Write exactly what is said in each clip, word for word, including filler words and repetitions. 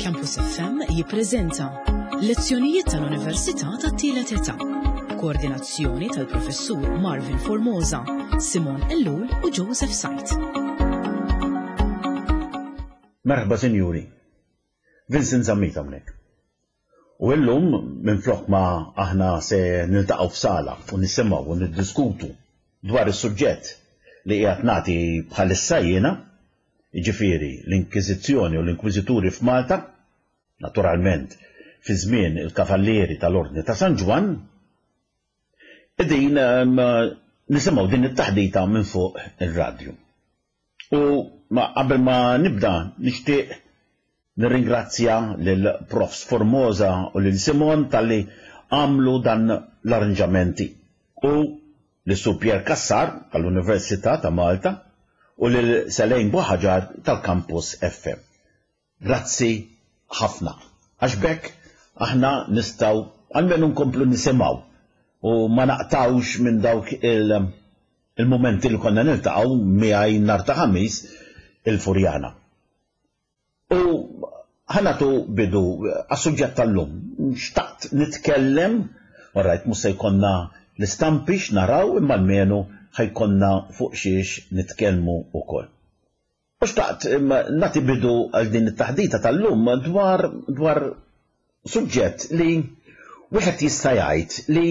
Campus F M jippreżenta Lezzjonijiet tal-Università tat-Tielet Età. Koordinazzjoni tal-Professur Marvin Formosa, Simon Ellul u Joseph Sajt. Merħba sinjuri, Vincent Zammit hawnhekk. U illum minflok ma aħna se niltaqgħu f'sala u nisimgħu u niddiskutu dwar is-suġġett li qiegħed nagħti bħalissa jiena, jiġifieri l-Inkwiżizzjoni u l-Inkwiżituri f'Malta, naturalment fi żmien il-Kavallieri tal-Ordni ta' San Ġwann, qegħdin, ehm, nisimgħu din it-taħdita minn fuq ir-radju. U ma qabel ma nibda nixtieq nirringrazzja lil Profs Formosa u lil Simon talli għamlu dan l-arranġamenti u lil Sur Pierre Cassar tal-Università ta' Malta u lil Selejn Buħaġar tal-Campus F M. Grazzi ħafna. Għax bekk aħna nistgħu almenu nkomplu nisimgħu u ma naqtawx minn dawk il-, il-momenti li konna niltaqgħu miegħi nhar ta' Ħamis il-Furjana. U ħanatu bidu għas-suġġett tal-lum. Xtaqt nitkellem, orajt mhux se jkollna l-istampi x'naraw imma almenu ħajkonna fuq xiex nitkellmu wkoll. U xtaqt nagħti bidu għal din it-taħdita tal-lum dwar, dwar suġġett li wieħed jista' jgħid li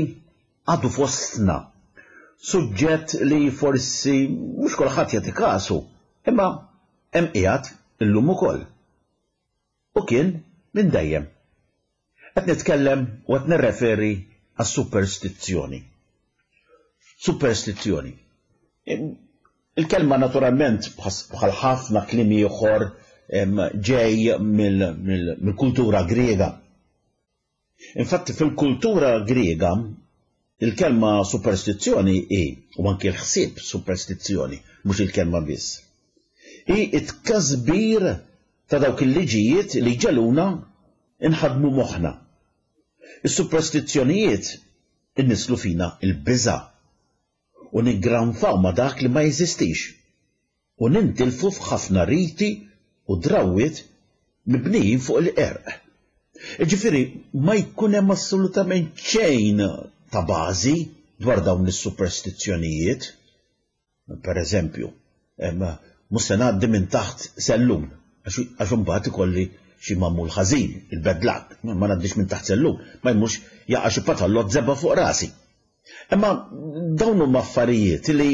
għadu fostna, suġġett li forsi mhux kulħadd jagħti kasu, imma hemm qiegħed illum ukoll. U kien minn dejjem. Qed nitkellem u qed nirreferi għas-superstizzjoni. Superstizzjoni. Il-kelma naturalment bħal ħafna kliem ieħor, em, ġej mill-, mill-, mill-kultura Griega. Infatti fil-kultura Griega il-kelma superstizzjoni hi, u anki l-ħsieb superstizzjoni, mhux il-kelma biss, hi it-tkasbir ta' dawk il-liġijiet li ġeluna inħadmu moħħna. Is-superstizzjonijiet innislu fina il-biża' u niggranfaw ma' dak li ma jeżistix u nintilfu f'ħafna riti u drawwiet mibnijin fuq il-qerq. Jiġifieri ma jkun hemm assolutament xejn ta' bażi dwar dawn is-superstizzjonijiet. Per eżempju, em, mhux se ngħaddi minn taħt sellum, għax, għax imbagħad ikolli xi magħmul ħażin, il-bad luck, ma ngħaddix minn taħt sellum, ma jmurx jaqa' xi patallot żebgħa fuq rasi. Imma dawn huma affarijiet li,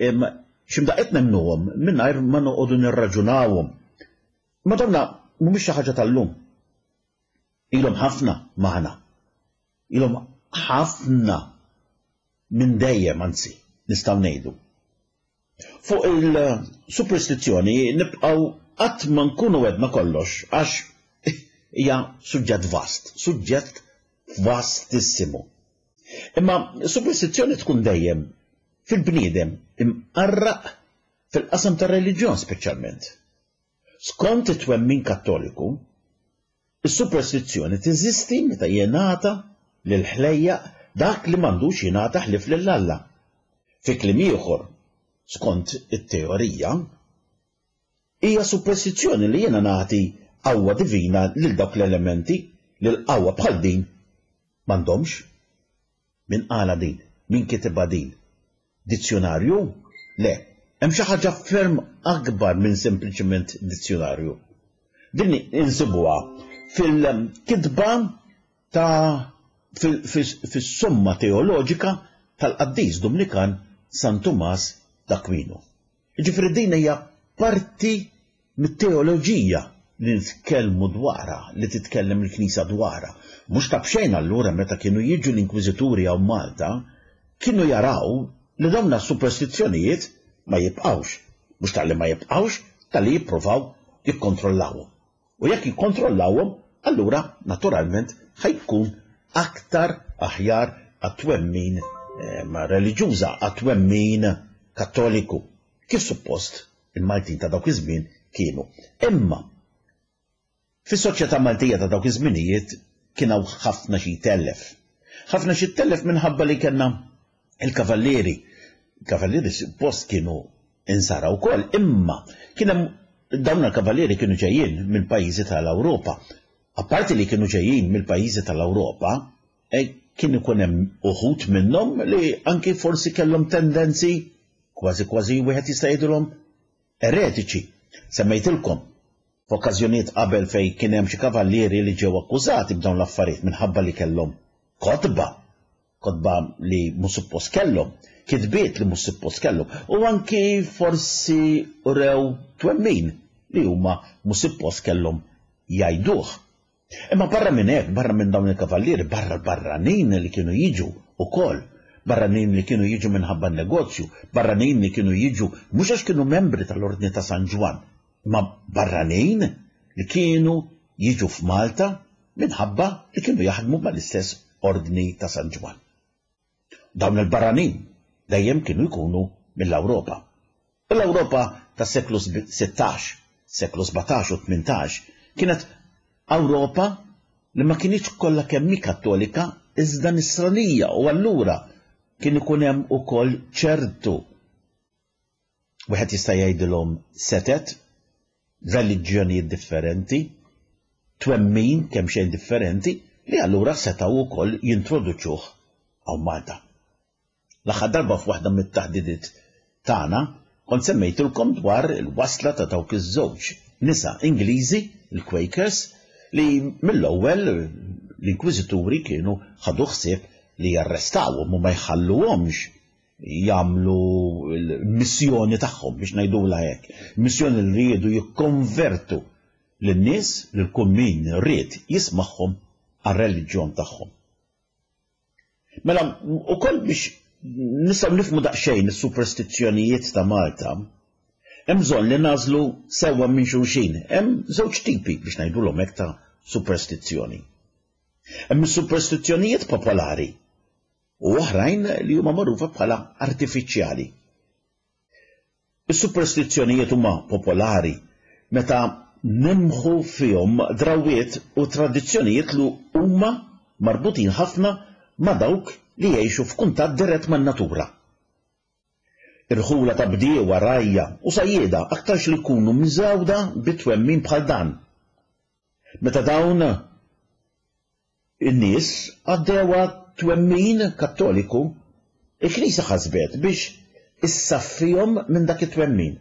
em, x'imdaqqiet nemnuhom mingħajr ma noqogħdu nirraġunawhom. Ma dawna mhumiex xi ħaġa tal-lum. Ilhom ħafna magħna. Ilhom ħafna minn dejjem, anzi, nistgħu ngħidu. Fuq il-superstizzjoni nibqgħu qatt ma nkunu għedna kollox għax hija suġġett vast, suġġett vastissimu. Imma superstizzjoni tkun dejjem fil-bniedem imqarraq fil-qasam tar-reliġjon speċjalment. Skont it-twemmin Kattoliku, is-superstizzjoni teżisti meta jingħata lil ħlejjaq dak li m'għandux jingħata ħlief lil Alla. Fi kliem ieħor, skont it-teorija, hija superstizzjoni li jiena nagħti qawwa divina lil dawk l-elementi li l-qawwa bħal din m'għandhomx. Min qala din? Min kitibha din? Dizzjonarju? Le, hemm xi ħaġa ferm akbar minn sempliċement dizzjonarju. Din insibuha fil-kitba ta' fil-, fis-, fis-somma teoloġika tal-qaddis Dumnikan San Tumas d'Aquino. Jiġifieri din hija parti mit-teoloġija li nitkellmu dwarha, li titkellem il-Knisja dwarha. Mhux ta' b'xejn allura meta kienu jiġu l-Inkwiżituri hawn Malta, kienu jaraw li dawn is-superstizzjonijiet ma jibqgħux. Mhux talli ma jibqgħux, talli jippruvaw jikkontrollawhom. U jekk jikkontrollawhom, allura naturalment ħajkun aktar aħjar għat-twemmin, eh, reliġjuża, għat-twemmin Kattoliku, kif suppost il-Maltin ta' dawk iż-żmien kienu. Imma fis-soċjetà Maltija ta' dawk iż-żminijiet kien hawn ħafna xi jtellef. Ħafna xi jtellef minħabba li kellna il-kavallieri. Il-kavallieri suppost kienu insara wkoll, imma kien hemm Dawn il-kavallieri kienu ġejjin minn pajjiżi tal-Ewropa. Apparti li kienu ġejjin mill-pajjiżi tal-Ewropa, kien ikun hemm uħud minnhom li anki forsi kellhom tendenzi kważi kważi wieħed jista' jgħidilhom eretiċi. Semmejtilkom f'okkażjonijiet qabel fejn kien hemm xi kavallieri li ġew akkużati b'dawn l-affarijiet minħabba li kellhom kotba, kotba li mhux suppost kellhom, kitbiet li mhux suppost kellhom, u anki forsi urew twemmin li huma mhux suppost kellhom jgħiduh. Imma barra minn hekk, barra minn dawn il-kavallieri, barra l-barranin li kienu jiġu ukoll, barranin li kienu jiġu minħabba n-negozju, barranin li kienu jiġu mhux għax kienu membri tal-Ordni ta' San Ġwann, imma barranin li kienu jiġu f'Malta minħabba li kienu jaħdmu mal-istess Ordni ta' San Ġwann. Dawn il-barranin dejjem kienu jkunu mill-Ewropa. U l-Ewropa tas-seklu sittax, seklu sbatax u tmintax kienet Ewropa li ma kinitx kollha kemm hi Kattolika iżda Nisranija, u allura kien ikun hemm ukoll ċertu, wieħed jista' jgħidilhom setet, reliġjonijiet differenti, twemmin kemm xejn differenti, li allura setgħu wkoll jintroduċuh hawn Malta. L-aħħar darba f'waħda mit-taħdidiet tagħna kont semmejtilkom dwar il-wasla ta' dawk iż-żewġ nisa Ingliżi, il-Quakers, li mill-ewwel l-Inkwiżituri kienu ħadu ħsieb li jarrestawhom u ma jħalluhomx jagħmlu l-missjoni tagħhom, biex ngħidulha hekk, missjoni li riedu jikkonvertu lin-nies, lil kull min ried jismagħhom għar-reliġjon tagħhom. Mela, ukoll biex nistgħu nifhmu daqsxejn is-superstizzjonijiet ta' Malta, hemm bżonn li nagħżlu sewwa minn xulxin. Hemm żewġ tipi biex ngħidulhom hekk ta' superstizzjoni. Hemm is-superstizzjonijiet popolari u oħrajn li huma magħrufa bħala artifiċjali. Is-superstizzjonijiet huma popolari meta nimħu fihom drawiet u tradizzjonijiet li huma marbutin ħafna ma' dawk li jgħixu f'kuntatt dirett man-natura. Irħula ta' bdiewa, rajja u sajjieda aktarx li jkunu miżgħuda bi twemmin bħal dan. Meta dawn in-nies għaddewha twemmin Kattoliku, il-Knisja ħasbet biex issaffihom minn dak it-twemmin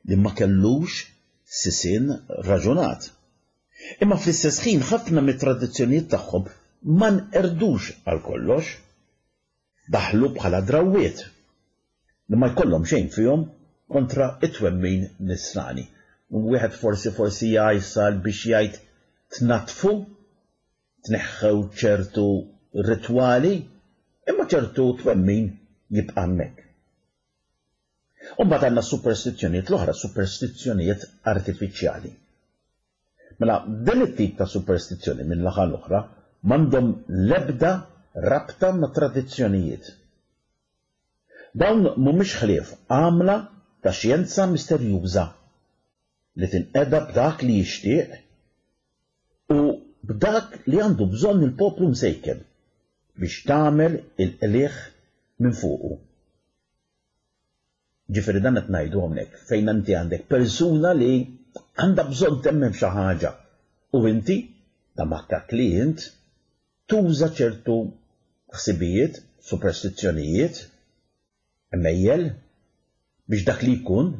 li ma kellux sisien raġunat. Imma fl-istess ħin ħafna mit-tradizzjonijiet tagħhom ma nqerdux għal kollox, daħlu bħala drawiet li ma jkollhom xejn fihom kontra it-twemmin nisrani. U wieħed forsi forsi jgħajsal biex jgħid tnatfu, tneħħew ċertu ritwali, imma ċertu twemmin jibqa' hemmhekk. U mbagħad għandna superstizzjonijiet l-oħra, superstizzjonijiet artifiċjali. Mela, din it-tip ta' superstizzjoni minn naħa l-oħra m'għandhom l-ebda rabta ma' tradizzjonijiet. Dawn mhumiex ħlief għamla ta' xjenza misterjuża li tinqeda b'dak li jixtieq u b'dak li għandu bżonn il-poplu msejken biex tagħmel il-qligħ minn fuqu. Ġifieri dan qed ngħidu hawnhekk fejn inti għandek persuna li għandha bżonn temmen f'xi ħaġa u inti ta' makkak li int tuża ċertu ħsibijiet, superstizzjonijiet, emmejjel biex dak li jkun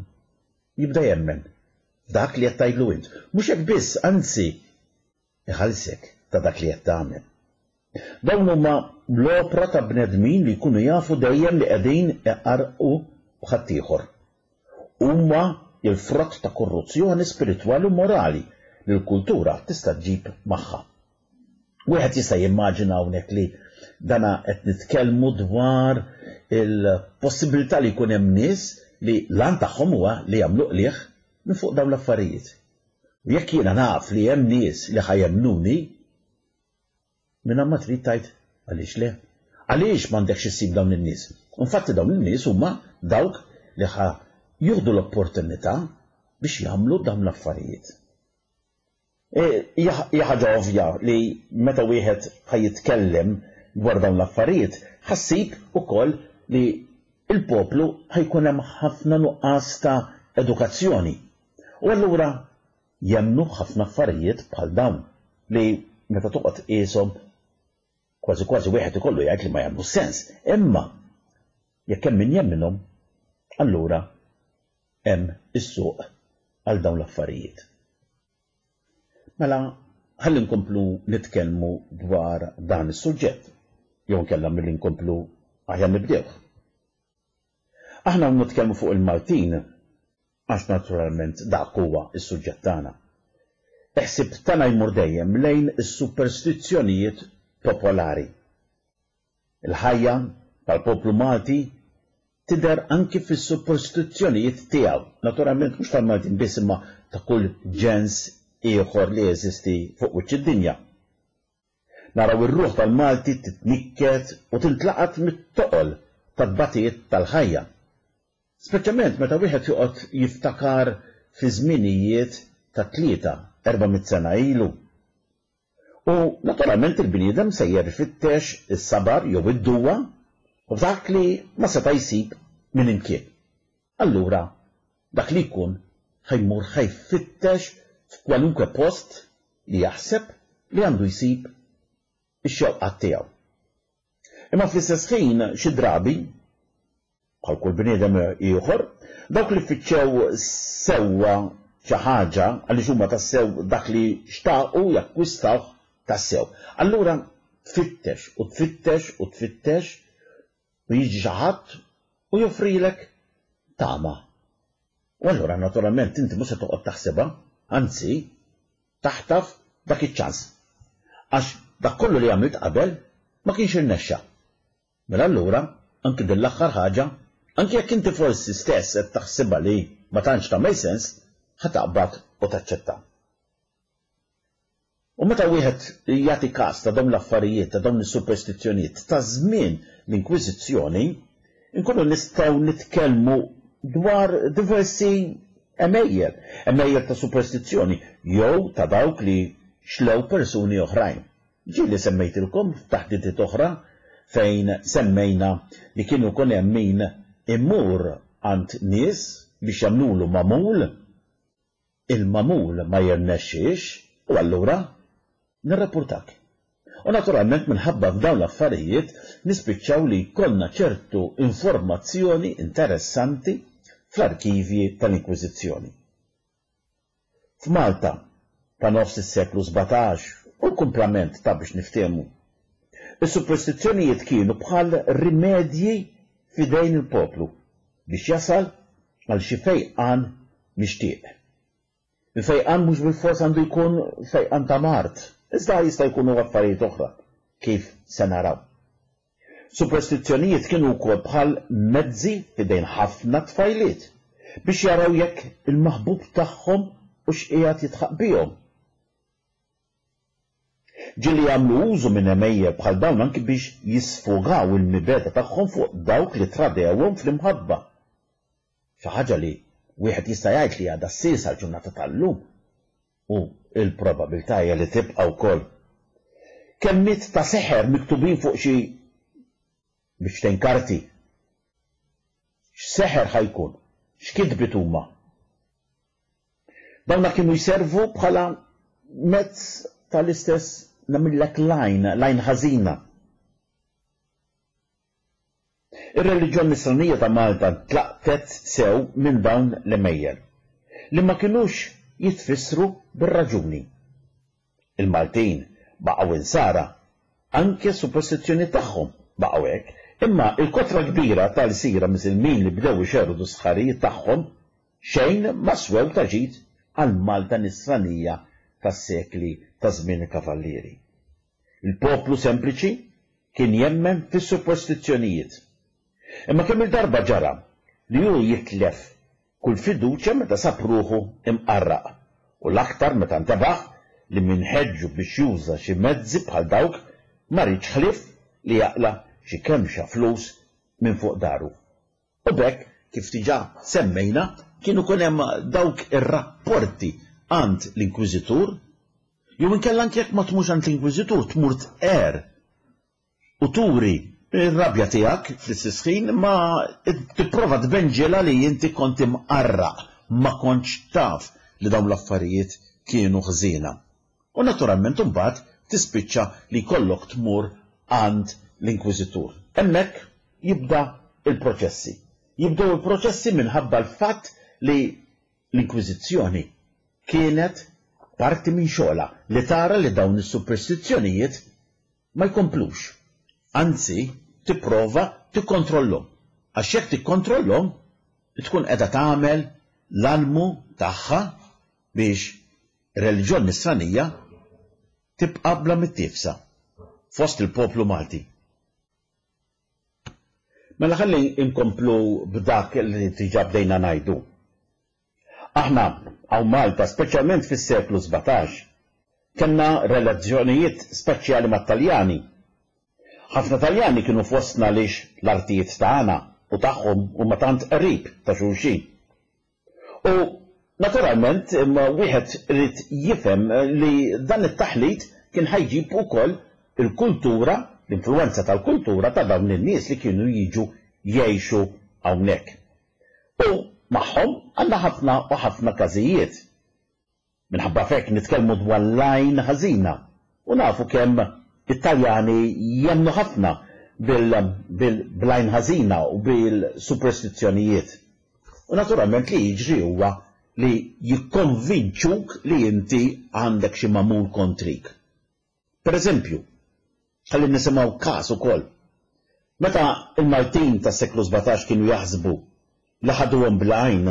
jibda jemmen f'dak li qed tgħidlu int. Mhux hekk biss, anzi iħallsek ta' dak li qed tagħmel. Dawn huma l-opra ta' bnedmin li jkunu jafu dejjem li qegħdin iqarqu b'ħaddieħor. Huma il-frott ta' korruzzjoni spiritwali u morali li l-kultura tista' ġġib magħha. Wieħed jista' jimmaġina hawnhekk li dana qed nitkellmu dwar il-possibilità li jkun hemm nies li l-għan tagħhom huwa li jagħmlu qligħ minn fuq dawn l-affarijiet. U jekk jiena naf li hemm nies li ħajemnuni, minn ma trid tgħid għaliex le? Għaliex m'għandekx issib dawn in-nies? Infatti dawn in-nies huma dawk li ħa jieħdu l-opportunità biex jagħmlu dawn l-affarijiet. Hija ħaġa ovvja li meta wieħed ħa jitkellem dwar dawn l-affarijiet, ħassib ukoll li il-poplu ħajkun hemm ħafna nuqqas ta' edukazzjoni. U allura jemmnu ħafna affarijiet bħal dawn li meta toqgħod tqieshom kważi kważi wieħed ikollu jgħid li ma jagħmlu sens. Imma jekk hemm min jemminhom, allura hemm is-suq għal dawn l-affarijiet. Mela ħalli nkomplu nitkellmu dwar dan is-suġġett, jew inkella milli nkomplu aħjar nibdewh. Aħna nitkellmu fuq il-Maltin għax naturalment dak huwa s-suġġett tagħna. Il-ħsieb tagħna jmur dejjem lejn is-superstizzjonijiet popolari. Il-ħajja tal-poplu Malti tidher anki fis-superstizzjonijiet tiegħu, naturalment mhux tal-Maltin biss imma ta' kull ġens ieħor li jeżisti fuq wiċċ id-dinja. Naraw ir-ruħ tal-Malti titnikket u tintlaqat mit-toqol tat-tbatijiet tal-ħajja. Speċjalment meta wieħed joqgħod jiftakar fi żminijiet ta' tlieta, erba' mitt sena ilu. U naturalment il-bniedem sejjer ifittex is-sabar jew id-duwa u dak li ma seta' jsib minn imkien. Allura dak li jkun ħa jmur ħa jfittex f'kwalunkwe post li jaħseb li għandu jsib ix-xewqat tiegħu. Imma fl-istess ħin xi drabi, bħal kull bniedem ieħor, dawk li fittxew sewwa xi ħaġa għaliex huma tassew dak li xtaqu jakkwistawh tassew. Allura tfittex u tfittex u tfittex u jiġi xi ħadd u joffrilek tama. U allura naturalment inti mhux se toqgħod taħsibha, anzi taħtaf dak iċ-ċans. Għax dak kollu li għamilt qabel ma kienx irnexxa. Mela allura anki din l-aħħar ħaġa, anki jekk inti forsi stess qed taħsibha li ma tantx tagħmel sens, ħa taqbad u taċċetta. U meta wieħed jagħti każ ta' dawn l-affarijiet, ta' dawn is-superstizzjonijiet ta' żmien l-Inkwiżizzjoni, inkunu nistgħu nitkellmu dwar diversi għemejjel, għemejjel ta' superstizzjoni jew ta' dawk li xlew persuni oħrajn. Ġieli semmejtilkom f'taħdidiet oħra fejn semmejna li kienu jkun hemm min imur għand nies biex jagħmlulu magħmul, il-magħmul ma jirnexxiex u allura nirrapportak. U naturalment minħabba f'dawn l-affarijiet nispiċċaw li jkollna ċertu informazzjoni interessanti fl-arkivji tal-Inkwiżizzjoni. F'Malta ta' nofs is-seklu sbatax u l-kumplament ta' biex niftehmu, is-superstizzjonijiet kienu bħal rimedji f'idejn il-poplu biex jasal għal xi fejqan mixtieq. Il-fejqan mhux bilfors għandu jkun fejqan ta' mard, iżda jista' jkunu affarijiet oħra, kif se naraw. Superstizzjonijiet kienu wkoll bħal mezzi f'idejn ħafna tfajliet biex jaraw jekk il-maħbub tagħhom u x'qiegħed jitħaq bihom. Ġieli jagħmlu użu minn għemejjel bħal dawn anki biex jisfogaw il-mibegħda tagħhom fuq dawk li tradewhom fl-imħabba. Xi ħaġa li wieħed jista' jgħid li għadha ssir sal-ġurnata tal-lum u l-probabilità hija li tibqa' wkoll. Kelmiet ta' seħer miktubin fuq xi biċċtejn karti. X'seħer ħa jkun? X'kitbiet huma? Dawna kienu jservu bħala mezz tal-istess nagħmillek lajn, lajn ħażina. Ir-reliġjon nisranija ta' Malta ntlaqtet sew minn dawn l-għemejjel, li ma kinux jitfissru bir-raġuni. Il-Maltin baqgħu insara, anke s-superstizzjoni tagħhom baqgħu hekk, imma il-kotra kbira ta' lsira Misilmin li bdew ixerrdu s-sħarijiet tagħhom xejn ma swew ta' ġid għal Malta nisranija tas-sekli ta' żmien il-Kavallieri. Il-poplu sempliċi kien jemmen fis-superstizzjonijiet. Imma kemm il-darba ġara li hu jitlef kull fiduċja meta sab ruħu imqarraq, u l-aktar meta ntebaħ li min ħeġġu biex juża xi mezzi bħal dawk ma riedx ħlief li jaqla' xi kemxa flus minn fuq daru. U b'hekk, kif diġà semmejna, kien ikun hemm dawk ir-rapporti għand l-Inkwiżitur, jew inkella anke jekk ma tmurx għand l-Inkwiżitur tmur tqerr u turi r-rabja tiegħek fl-istess ħin ma tipprova tbenġilha li inti kont imqarraq, ma kontx taf li dawn l-affarijiet kienu ħżiena. U naturalment imbagħad tispiċċa li jkollok tmur għand l-inkwiżitur. Hemmhekk jibda il-proċessi. Jibdew il-proċessi minħabba l-fatt li l-inkwiżizzjoni kienet parti minn xogħla li tara li dawn is-superstizzjonijiet ma jkomplux. Anzi, tipprova tikkontrollhom. Għax jekk tikkontrollhom, tkun qiegħda tagħmel l-almu tagħha biex reliġjon nisranija tibqa' bla mittiefsa fost il-poplu Malti. Mela ħalli nkomplu b'dak li diġà bdejna ngħidu. Aħna hawn Malta, speċjalment fis-seklu sbatax, kellna relazzjonijiet speċjali mat-Taljani. Ħafna Taljani kienu fostna għaliex l-artijiet tagħna u tagħhom huma tant qrib ta' xulxin. U naturalment imma wieħed irid jifhem li dan it-taħlit kien ħajġib ukoll il-kultura, l-influenza tal-kultura ta' dawn in-nies li kienu jiġu jgħixu hawnhekk. U magħhom għandna ħafna u ħafna każijiet. Minħabba f'hekk nitkellmu dwar l-għajn ħażina u nafu kemm it-Taljani jemmnu ħafna bil-għajn ħażina u bil-superstizzjonijiet. U naturalment li jiġri huwa li jikkonvinċuk li inti għandek xi magħmul kontrik. Per eżempju, ħalli nisimgħu każ ukoll. Meta il-Maltin tas-seklu sbatax kienu jaħsbu li ħaduhom bl-għajn,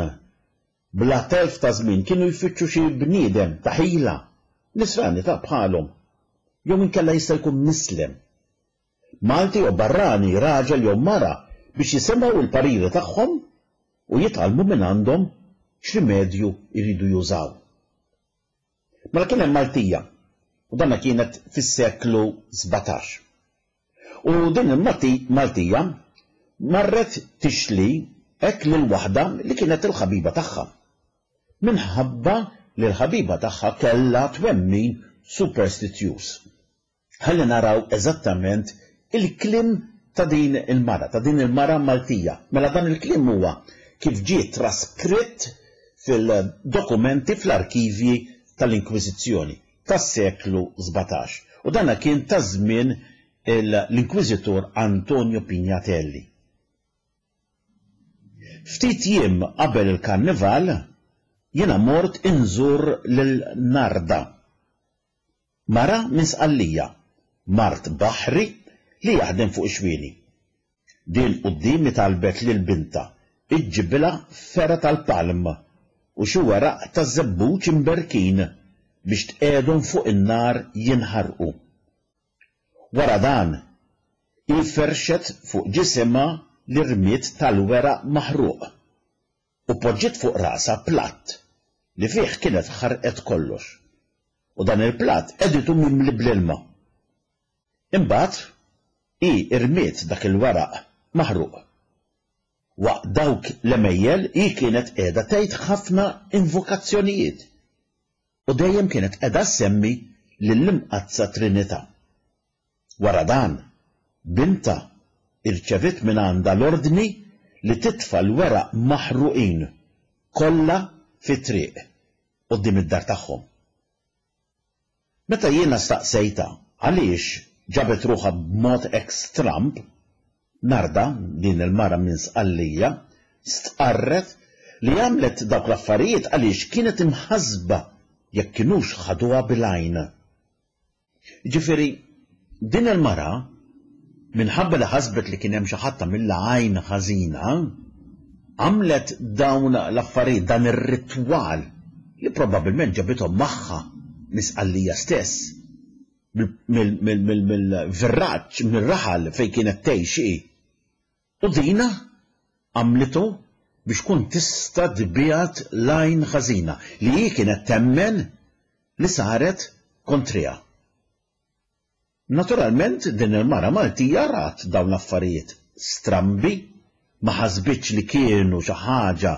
bla telf ta' żmien kienu jfittxu xi bniedem ta' ħila, nisrani ta' bħalhom, jew inkella jista' jkun mislem. Malti jew barrani, raġel jew mara, biex jisimgħu il-pariri tagħhom u jitgħallmu minn għandhom x'rimedju jridu jużaw. Mela kien hemm Maltija, u danna kienet fis-seklu sbatax. U din il-Maltija marret tixli hekk lil waħda li kienet il-ħabiba tagħha. Minħabba li l-ħabiba tagħha kellha twemmin superstizjuż. Ħalli naraw eżattament il-kliem ta' din il-mara, ta' din il-mara Maltija. Mela dan il-kliem huwa kif ġie traskritt fil-dokumenti fl-arkivji tal-Inkwiżizzjoni tas-seklu sbatax. U dana kien ta' żmien l-Inkwiżitur Antonio Pignatelli. Ftit jiem qabel il-karnival jiena mort inżur lil Narda, mara minn Sqallija, mart baħri li jaħdem fuq ix-xwieni. Din quddiemi talbet lil binta iġġibilha fergħa tal-palm u xi weraq taż-żebbuġ imberkin biex tqiegħdhom fuq in-nar jinħarqu. Wara dan, hi ferxet fuq ġisimha l-irmied tal-weraq maħruq u poġġiet fuq rasha platt li fih kienet ħarqet kollox. U dan il-platt qeditu mimli bl-ilma. Imbagħad hi irmiet dak il-weraq maħruq. Waqt dawk l-għemejjel hi kienet qiegħda tgħid ħafna invokazzjonijiet u dejjem kienet qiegħda ssemmi lill-Imqaddsa Trinità. Wara dan, binta irċevit minn għandha l-ordni li titfa' l-weraq maħruqin kollha fit-triq quddiem id-dar tagħhom. Meta jiena staqsejta għaliex ġabet ruħha b'mod hekk stramb, Narda, din il-mara minn Sqallija, stqarret li għamlet dawk l-affarijiet għaliex kienet imħassba jekk kinux ħaduha bil-għajn. Ġifieri, din il-mara, minħabba li ħasbet li kien hemm xi ħadd għamilha għajn ħażina, għamlet dawn l-affarijiet, dan ir-ritwal li probabbilment ġabithom magħha mis-Sqallija stess, mill-virraġġ, mir-raħal fejn kienet tgħix hi. U dina għamlitu biex tkun tista' tbiegħed l-għajn ħażina li hi kienet temmen li saret kontriha. Naturalment din il-mara Maltija rat dawn l-affarijiet strambi, ma ħasbitx li kienu xi ħaġa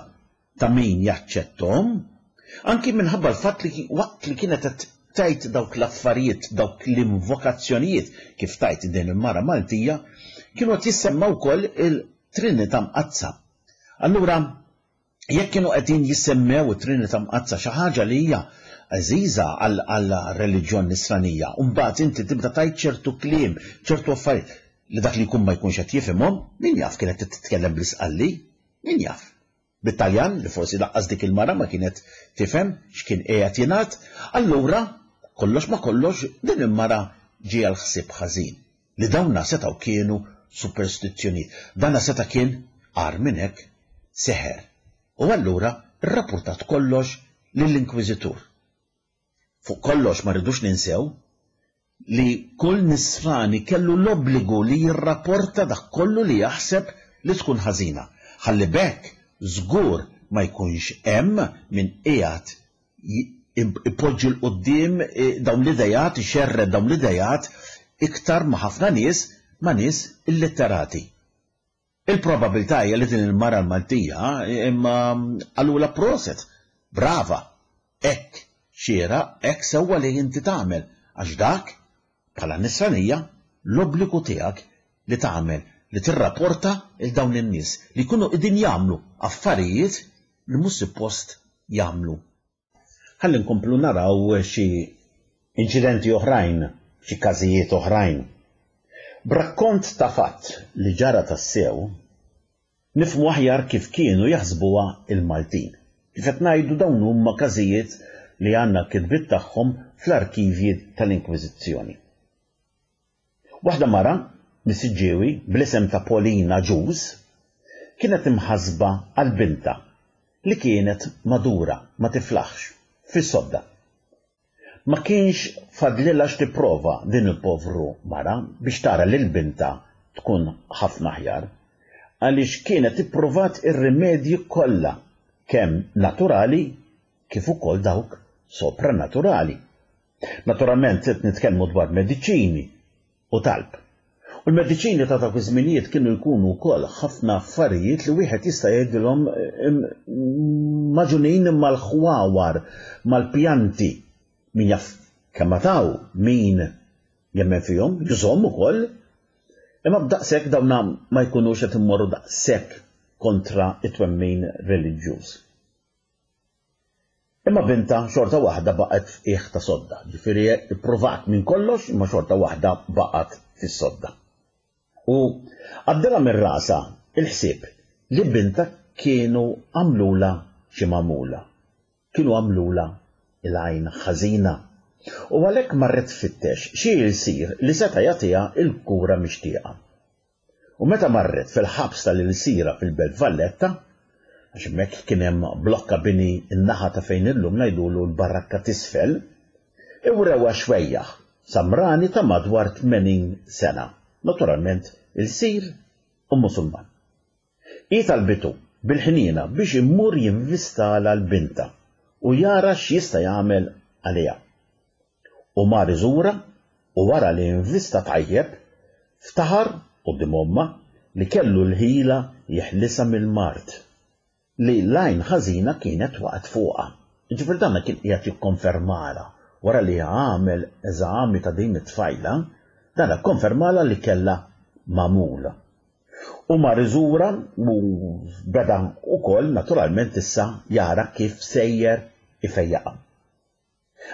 ta' min jaċċettom, anki minħabba l-fatt li waqt li kienet qed tgħid dawk l-affarijiet, dawk l-invokazzjonijiet, kif tgħid din il-mara Maltija, kienu qed jissemma wkoll il-Trinità Mqaddsa. Allura Jekk kienu qegħdin jissemmew it-Trinità Mqaddsa, xi ħaġa li hija għażiża għall-reliġjon nisranija, u mbagħad inti tibda tgħid ċertu kliem, ċertu affarijiet li dak li jkun ma jkunx qed jifhimhom, min jaf kienet titkellem bl-Isqalli, min jaf. Bit-Taljan, li forsi laqqas dik il-mara ma kienet tifhem x'kien qiegħed jingħad, allura kollox ma kollox din il-mara ġie l-ħsieb ħażin li dawna setgħu kienu superstizzjonijiet. Dana seta' kien agħar minn hekk seħer. U allura rrapportat kollox lill-Inkwiżitur. Fuq kollox ma rridux ninsew li kull nisrani kellu l-obbligu li jirrapporta dak kollu li jaħseb li tkun ħażina. Ħalli b'hekk żgur ma jkunx hemm min qiegħed ipoġġi 'l quddiem dawn l-idejat, ixerred dawn l-idejat iktar ma' ħafna nies, ma' nies illitterati. Il-probabilità hija li din il-mara l-Maltija imma qalulha proset, brava, hekk xieraq, hekk sewwa li inti tagħmel, għax dak bħala nisranija l-obbligu tiegħek li tagħmel, li tirrapporta il dawn in-nies li jkunu qegħdin jagħmlu affarijiet li mhux suppost jagħmlu. Ħalli nkomplu naraw xi inċidenti oħrajn, xi każijiet oħrajn. B'rakkont ta' fatt li ġara tassew, nifhmu aħjar kif kienu jaħsbuha il-Maltin. Kif qed ngħidu dawn huma każijiet li għandna kitbiet tagħhom fl-arkivji tal-Inkwiżizzjoni. Waħda mara mis-Siġġiewi bl-isem ta' Polina Ġuż kienet imħasba għal binta li kienet madura ma tiflaħx fis-sodda. Ma kienx fadlilha x'tipprova din il-povru mara biex tara lil binta tkun ħafna aħjar, għaliex kienet ippruvat ir-rimedji kollha kemm naturali kif ukoll dawk sopranaturali. Naturalment qed nitkellmu dwar mediċini u talb. U l-mediċini ta' dawk iż-żminijiet kienu jkunu wkoll ħafna affarijiet li wieħed jista' jgħidilhom maġunin mal-ħwawar, mal-pjanti. Min jaf kemm taw, min jemmen fihom, jużhom ukoll. Imma b'daqshekk dawna ma jkunux qed immorru daqshekk kontra it-twemmin reliġjuż. Imma binta xorta waħda baqgħet f'qiegħ ta' sodda, ġifieri ippruvat minn kollox imma xorta waħda baqgħet fis-sodda. U għaddilha minn rasha il-ħsieb li binta kienu għamlula xi magħmula. Kienu għamlula il-għajn ħażina. U għalhekk marret tfittex xi ilsir li seta' jagħtiha l-kura mixtieqa. U meta marret fil-ħabs tal-ilsira fil-Belt Valletta, għax hemmhekk kien hemm blokka bini n-naħa ta' fejn illum ngħidulu l-barrakka t'isfel, iwrewha xwejjaħ samrani ta' madwar tmenin sena, naturalment ilsir u Musulman. Hi talbitu bil-ħniena biex immur jinvistala l-binta u jara x'jista' jagħmel għaliha. U mar iżura u wara li invista tajjeb, ftaħar quddiem ommha li kellu l-ħila jeħlisha mill-mard li l-għajn ħażina kienet waqgħet fuqha. Ġifieri dan kien qiegħed jikkonfermala wara li għamel eżami ta' din it-tfajla, dan ikkonfermala li kellha magħmula. U mar iżura u beda wkoll naturalment issa jara kif sejjer ifejjaqha.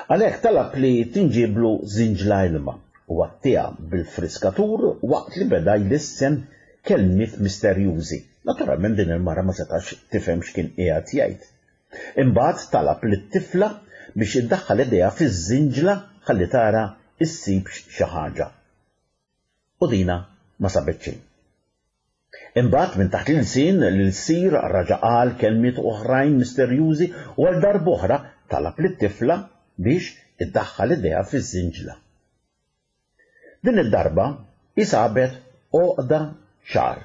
Għalhekk talab li tinġiblu żinġla ilma u għattiha bil-friskatur waqt li beda jlissen kelmiet misterjużi. Naturalment din il-mara ma setax tifhem x'kien qiegħed jgħid. Imbagħad talab lit-tifla biex iddaħħal idejha fiż-żinġla ħalli tara issibx xi ħaġa. U dina ma sabet xejn. Imbagħad minn taħt l-ilsien l-ilsir raġa' qal kelmiet oħrajn misterjużi u għal darb'oħra talab lit-tifla biex iddaħħal idejha fiż-żinġla. Din id-darba hi sabet għoqda xagħar.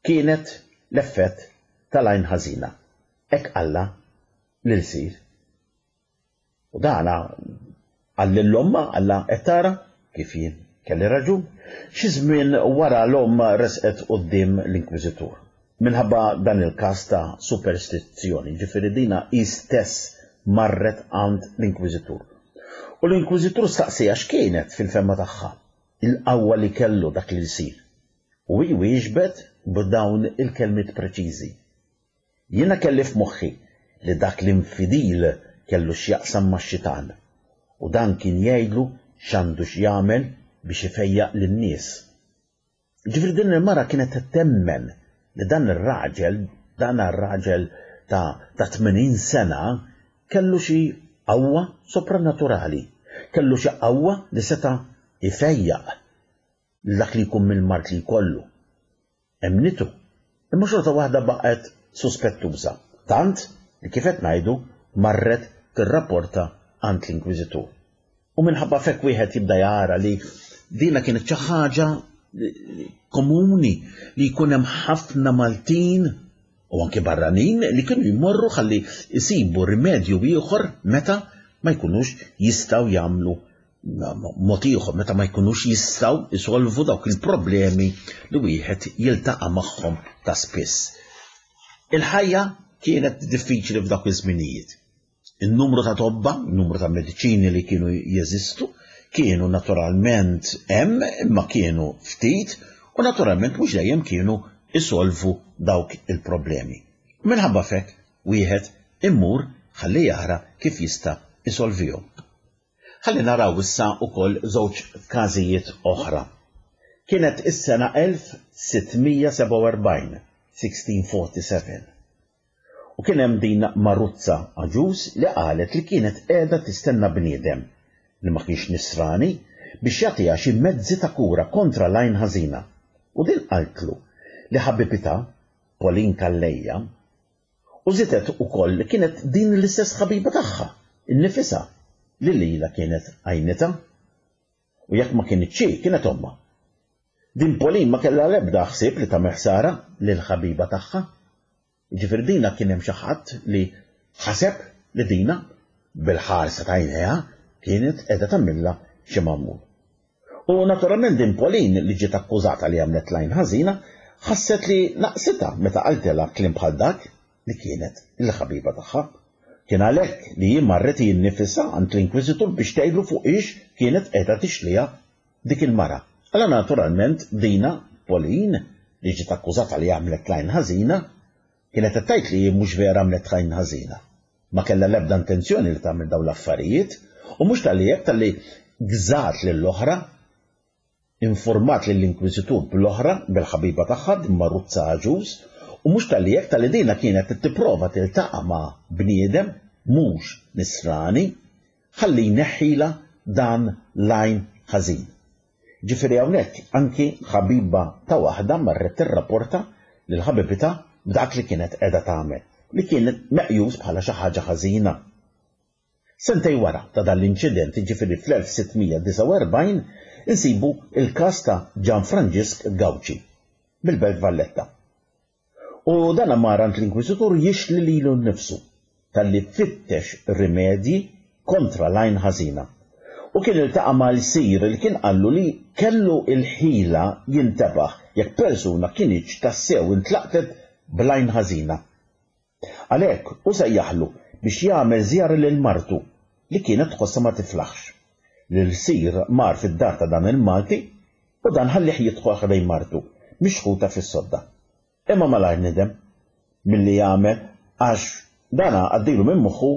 Kienet l-effett tal-għajn ħażina. Hekk qallha l-ilsir. U dana qal lil ommha, qallha qed tara kif jien kelli raġun. Xi żmien wara l-omm resqet quddiem l-Inkwiżitur. Minħabba dan il-każ ta' superstizzjoni, ġifieri dina hi stess marret għand l-Inkwiżitur. U l-Inkwiżitur staqsieha x'kienet fil-fehma tagħha il-qawwa li kellu dak l-ilsir. U hi wieġbet b'dawn il-kelmiet preċiżi. Jiena kelli f'moħħi li dak l-infidil kellu x'jaqsam max-xitan u dan kien jgħidlu x'għandu x'jagħmel biex ifejjaq lin-nies. Ġifieri din il-mara kienet temmen li dan ir-raġel, dan ir-raġel ta' ta' tmenin sena kellu xi qawwa sopranaturali, kellu xi qawwa li seta' ifejjaq dak li jkun mill-mard li jkollu. Emmnitu, imma xorta waħda baqgħet suspettuża, tant li kif qed ngħidu marret tirrapporta għand l-Inkwiżitur. U minħabba f'hekk wieħed jibda jara li dina kienet xi ħaġa komuni li jkun hemm ħafna Maltin u anke barranin li kienu jmorru ħalli jsibu rimedju ieħor meta ma jkunux jistgħu jagħmlu mod ieħor, meta ma jkunux jistgħu jsolvu dawk il-problemi li wieħed jiltaqa' magħhom ta' spiss. Il-ħajja kienet diffiċli f'dawk iż-żminijiet. Il-numru ta' tobba, il-numru ta' mediċini li kienu jeżistu, kienu naturalment hemm, imma kienu ftit, u naturalment mhux dejjem kienu isolvu dawk il-problemi. Minħabba f'hekk wieħed immur ħalli jara kif jista' isolvihom. Ħalli naraw issa ukoll żewġ każijiet oħra. Kienet is-sena elf sittmija sebgħa u erbgħin, sixteen forty-seven. U kien hemm din Maruzza Aġus li qalet li kienet qiegħda tistenna bniedem li ma kienx nisrani biex jagħtiha xi mezzi ta' kura kontra l-għajn ħażina. U din qaltlu li ħabibitha, Pauline Calleja, u żiedet ukoll li kienet din l-istess ħabiba tagħha, innifisha, li lilha kienet għajnitha. U jekk ma kienitx hi, kienet ommha. Din Pauline ma kellha l-ebda ħsieb li tagħmel ħsara lil ħabiba tagħha. Ġifieri dina kien hemm xi ħadd li ħaseb li dina bil-ħarsa ta' għajnejha kienet qiegħda tagħmilha xi magħmul. U naturalment din Pauline li ġiet akkużata li għamlet lajn ħażina ħasset li naqsitha meta qaltilha kliem bħal dak li kienet il-ħabiba tagħha. Kien għalhekk li hi marret hi nnifisha għand l-Inkwiżitur biex tgħidlu fuq ix kienet qiegħda tixliha dik il-mara. Alla naturalment dina Pauline li ġiet akkużata li għamlet lajn ħażina kienet qed tgħid li mhux vera għamlet lajn ħażina. Ma kellha l-ebda intenzjoni li tagħmel dawn l-affarijiet u mhux tal-li hekk tal-li gżat lill-oħra, informat lill-Inkwiżitur bl-oħra bil-ħabiba tagħha din Maruzza Aġus, u mhux tal-li hekk tal-li dina kienet tipprova tiltaqa' ma' bniedem mhux nisrani ħalli jneħħilha dan l-għajn ħażin. Ġifieri hawnhekk anki ħabiba ta' waħda marret tirrapporta lil ħabibitha b'dak li kienet qiegħda tagħmel, li kienet meqjus bħala xi ħaġa ħażina. Sentej wara ta' dan l-inċident, ġifieri fl-elf sittmija disgħa u erbgħin, insibu il-każ ta' Gian Franġisk Gauci mill-Belt Valletta. U dan mar għand l-Inkwiżitur jixli lilu nnifsu talli fittex rimedji kontra l-għajn ħażina. U kien iltaqa' mal-sir li kien qallu li kellu il-ħila jintebaħ jekk persuna kienx tassew intlaqtet bl-għajn ħażina. Għalhekk u sejjaħlu biex jagħmel żjara lil martu li kienet tħossha ma tiflaħx. L-sir mar fid-dar ta' dan il-Malti u dan ħallih jidħol ħdejn martu mixħuta fis-sodda. Imma malajr nidem milli jagħmel għax dana għaddilu minn moħħu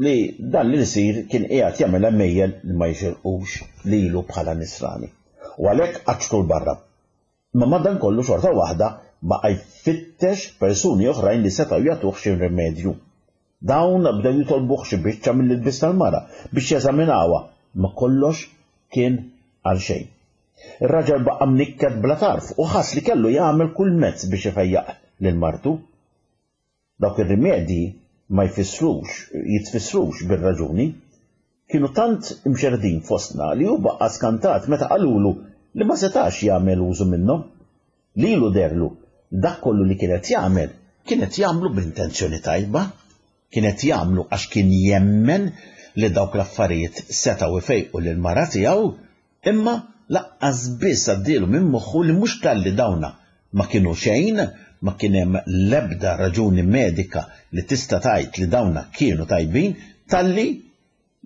li dan l-sir kien qiegħed jagħmel għemejjel li ma jixirqux lilu bħala nisrani. U għalhekk qaċċtu l-barra. Imma madankollu xorta waħda baqa' jfittex persuni oħrajn li setgħu jagħtuh xi rimedju. Dawn bdew jitolbuh xi biċċa mill-ilbies tal-mara biex jeżaminawha, ma kollox kien għal xejn. Ir-raġel baqa' mnikket bla tarf u ħass li kellu jagħmel kull mezz biex ifejjaq lil martu. Dawk ir-rimedji ma jfissrux, jitfissrux bir-raġuni, kienu tant imxerdin fostna li hu baqa' skantat meta qalulu li ma setax jagħmel użu minnhom. Lilu derlu dak kollu li kienet jagħmel kienet jagħmlu b'intenzjoni tajba, kienet jagħmlu għax kien jemmen li dawk l-affarijiet setgħu ifejqu lil mara tiegħu, imma laqqas biss għaddielu minn moħħu li mhux talli dawna ma kienu xejn, ma kien hemm l-ebda raġuni medika li tista' tgħid li dawna kienu tajbin, talli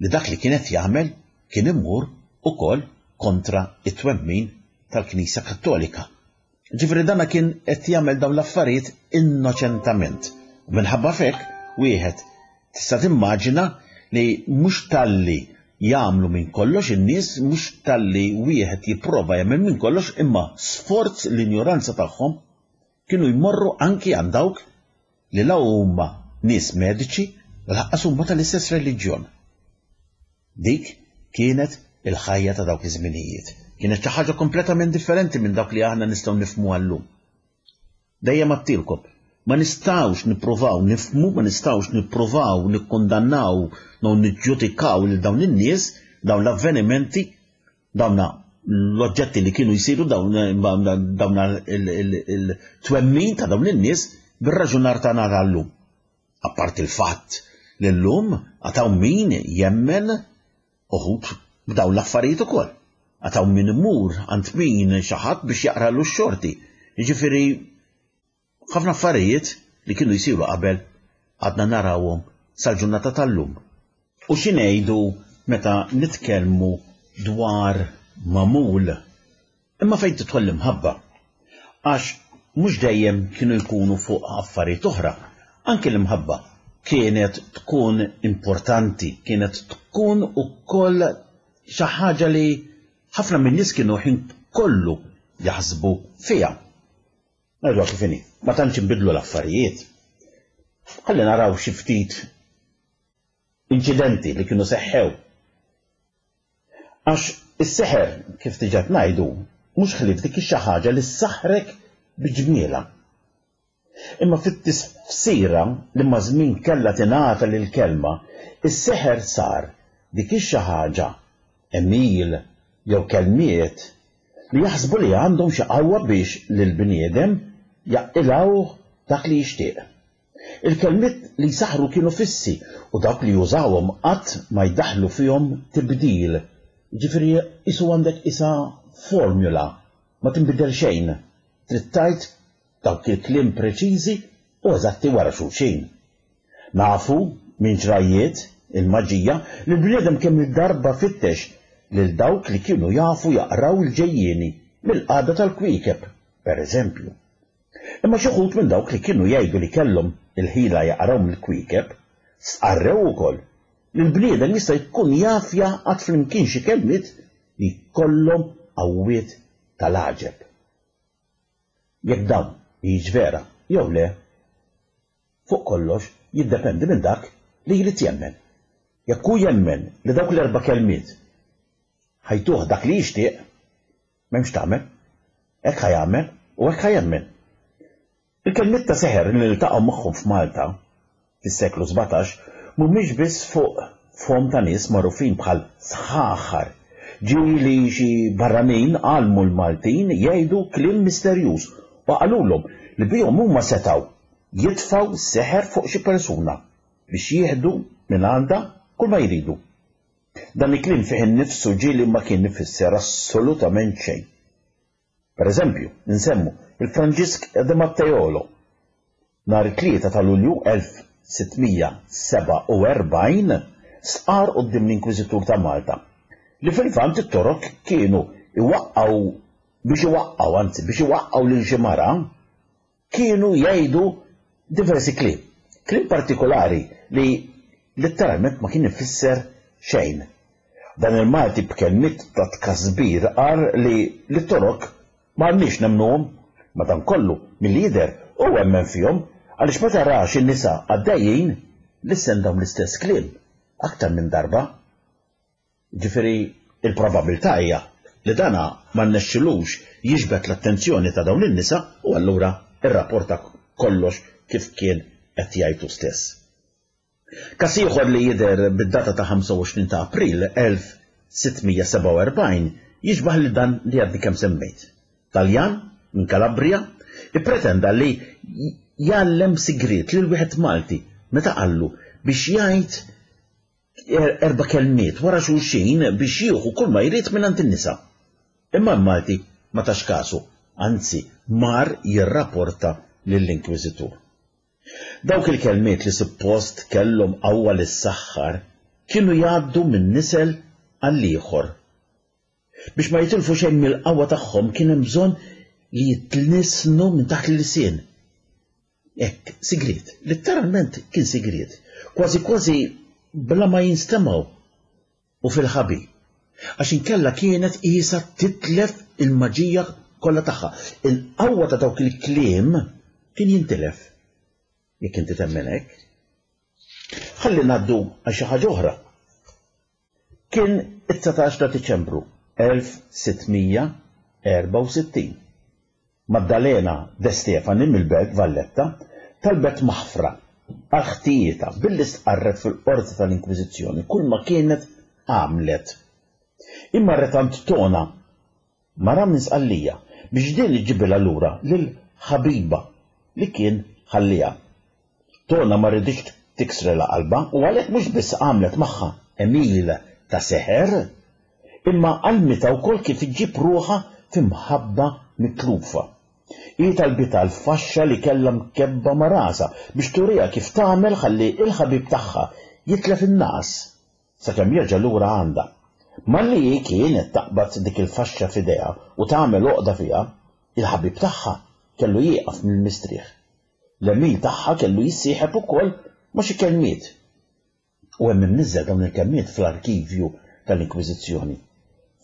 li dak li kienet jagħmel kien imur ukoll kontra it-twemmin tal-Knisja Kattolika. Ġifieri dana kien qed jagħmel dawn l-affarijiet innoċentament U minħabba f'hekk wieħed tista' timmaġina li mhux talli jagħmlu minn kollox in-nies, mhux talli wieħed jipprova jagħmel minn kollox, imma sforz l-injoranza tagħhom kienu jmorru anki għand dawk li la huma nies mediċi u lanqas huma tal-istess reliġjon. Dik kienet il-ħajja ta' dawk iż-żminijiet. Kienet xi ħaġa kompletament differenti minn dawk li aħna nistgħu nifhmu għallum. Dejjem għedtilkom, ma nistgħux nippruvaw nifhmu, ma nistgħux nippruvaw nikkundannaw, jew niġġudikaw lil dawn in-nies, dawn l-avvenimenti, dawn l-oġġetti li kienu jsiru, dawn dawn il-twemmin ta' dawn in-nies bir-raġunar tagħna tal-lum. Apart il-fatt li llum għad hawn min jemmen uħud b'dawn l-affarijiet ukoll. Għad hawn min imur għand min xi ħadd biex jaqralu x-xorti. Jiġifieri ħafna affarijiet li kienu jsiru qabel għadna narawhom sal-ġurnata tal-lum. U xi ngħidu meta nitkellmu dwar magħmul? Imma fejn tidħol l-imħabba? Għax mhux dejjem kienu jkunu fuq affarijiet oħra. Anki l-imħabba kienet tkun importanti, kienet tkun ukoll xi ħaġa li ħafna min-nies kienu ħin kollu jaħsbu fiha. Ngħidu kif inhi, ma tantx inbidlu l-affarijiet. Ħalli naraw xi ftit inċidenti li kienu seħħew. Għax is-seħer, kif diġà ngħidu, mhux ħlief dik xi ħaġa li ssaħħrek bi ġmielha. Imma fit-tifsira li ma' żmien kellha tingħata lill-kelma, is-seħer sar dik xi ħaġa, għemil jew kelmiet li jaħsbu li għandhom xi qawwa biex lill-bniedem jaqilgħu dak li jixtieq. Il-kelmiet li jsaħħru kienu fissi u dawk li jużawhom qatt ma jdaħħlu fihom tibdil. Jiġifieri qisu għandek isa formula, ma tinbidel xejn. Trid tgħid dawk il-kliem preċiżi u eżatti wara xulxin. Nafu minn ġrajjiet il-maġija li l-bniedem kemm il-darba fittex lil dawk li kienu jafu jaqraw il-ġejjieni mill-qagħda tal-kwiekeb, per eżempju. Imma xi wħud minn dawk li kienu jgħidu li kellhom il-ħila jaqraw mill-kwiekeb, stqarrew ukoll li l-bniedem jista' jkun jaf jgħaqqad flimkien xi kelmiet li jkollhom qawwiet tal-għaġeb. Jekk dawn hijiex vera jew le, fuq kollox jiddependi minn dak li jrid jemmen. Jekk hu jemmen li dawk l-erba' kelmiet ħa jtuh dak li jixtieq, m'hemmx tagħmel, hekk ħa jagħmel u hekk ħa jemmen. Il-kelmiet ta' seħer li niltaqgħu magħhom f'Malta fis-seklu sbatax mhumiex biss fuq fom ta' nies magħrufin bħal sħaħar. Ġieli xi barranin għallmu l-Maltin jgħidu kliem misterjuż u qalulhom li bihom huma setgħu jitfgħu seħer fuq xi persuna biex jieħdu minn għandha kull ma jridu. Dan il-kliem fih innifsu ġieli ma kien ifisser assolutament xejn. Per eżempju, nsemmu il-Franġisk de Matteolo. Nhar it-tlieta ta' Lulju elf sitt mija sebgħa u erbgħin stqarr quddiem l-Inkwiżitur ta' Malta li fil-Lvant it-Torok kienu iwaqqgħu biex iwaqqgħu, anzi biex iwaqqgħu lil xi mara, kienu jgħidu diversi kliem. Kliem partikolari li letteralment ma kien ifisser xejn. Dan il-Malti b'kelmiet ta' tkasbir qal li l-Torok ma għandniex nemnuhom, madankollu milli jidher u emmen fihom għaliex meta ra xi nisa għaddejjin lissen dawn l-istess kliem aktar minn darba. Ġifieri il-probabilità hija li dana ma rnexxilux jiġbed l-attenzjoni ta' dawn in-nisa u allura irrapporta kollox kif kien qed jgħidu stess. Każ ieħor li jidher bid-data ta' ħamsa u għoxrin ta' April elf sitt mija sebgħa u erbgħin jixbah lil dan li għadni kemm semmejt. Taljan minn Calabria ippretenda li jgħallem sigriet lil wieħed Malti meta qallu biex jgħid erba' kelmiet wara xulxin biex jieħu kull ma jrid mingħand in-nisa. Imma l-Malti ma tax kasu, anzi mar jirrapporta lill-Inkwiżitur. Dawk il-kelmiet li suppost kellhom qawwa lis-saħħar kienu jgħaddu minn nisel għall-ieħor. Biex ma jitilfu xejn mill-qawwa tagħhom kien hemm bżonn li jitnisnu minn taħt l-ilsien. Hekk, sigriet, litteralment kien sigriet, kważi kważi bla ma jinstemgħu u fil-ħabi. Għax inkella kienet qisha titlef il-maġija kollha tagħha. Il-qawwa ta' dawk il-kliem kien jintilef. Jekk inti temmen hekk. Ħalli ngħaddu għal xi ħaġa oħra. Kien it-dsatax ta' Diċembru elf sitt mija erbgħa u sittin. Maddalena De Stefani mill-Belt Valletta talbet maħfra għal ħtijietha billi stqarret fil-qorti tal-Inkwiżizzjoni kull ma kienet għamlet. Imma retant Tona, mara minn Sqallija, biex din iġibilha lura lil ħabiba li kien ħalliha. Tona ma riditx tiksrelha qalbha u għalhekk mhux biss għamlet magħha għemil ta' seħer, imma għallmitha wkoll kif iġġib ruħha f'imħabba mitlufa. Hi talbitha l-faxxa li kellha mkebba ma' rasha biex turiha kif tagħmel ħalli l-ħabib tagħha jitlef in-nagħas sakemm jerġa' lura għandha. Malli hi kienet taqbad dik il-faxxa f'idejha u tagħmel għoqda fiha, il-ħabib tagħha kellu jieqaf mill-mistrieħ. L-għemil tagħha kellu jissieħeb ukoll ma' xi kelmiet. U hemm imniżżel dawn il-kelmiet fl-arkivju tal-Inkwiżizzjoni.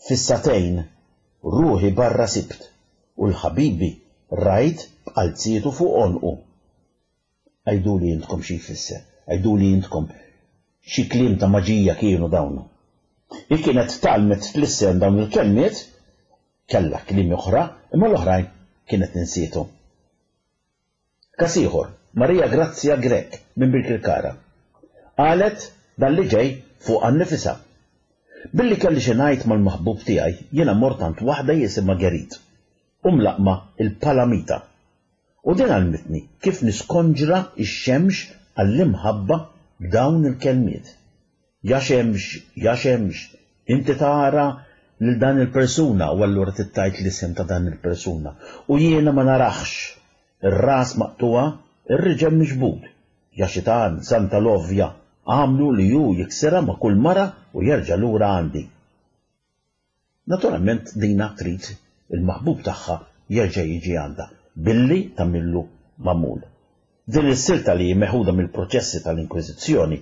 Fis-sagħtejn ruħi barra sibt u l-ħabibi rajt b'qalzietu fuq għonqu. Għiduli intkom xi jfisser, għiduli intkom xi kliem ta' maġija kienu dawn. Hi kienet tgħallmet tlissen dawn il-kelmiet, kellha kliem oħra, imma l-oħrajn kienet ninsiethom. Każ ieħor, Maria Grazia Grech minn Birkirkara. Qalet dan li ġej fuqha nnifisha. Billi kelli xi ngħid mal-maħbub tiegħi, jiena mort għand waħda jisimha Gerit u mlaqma il-Palamita. U din għallmitni kif niskonġra x-xemx għall-imħabba b'dawn il-kelmiet. Ja xemx, ja xemx, inti tara lil dan il-persuna u allura tittajt l-isem ta' dan il-persuna. U jiena ma narax, ir-ras maqtuha, ir-riġel miġbud. Ja xitan, Santa Lovja, għamlu li ju jiksirha ma' kull mara u jerġa' lura għandi. Naturalment dina trid il-maħbub tagħha jerġa' jiġi għandha billi tagħmillu magħmul. Din is-silta li meħuda mill-proċessi tal-Inkwiżizzjoni,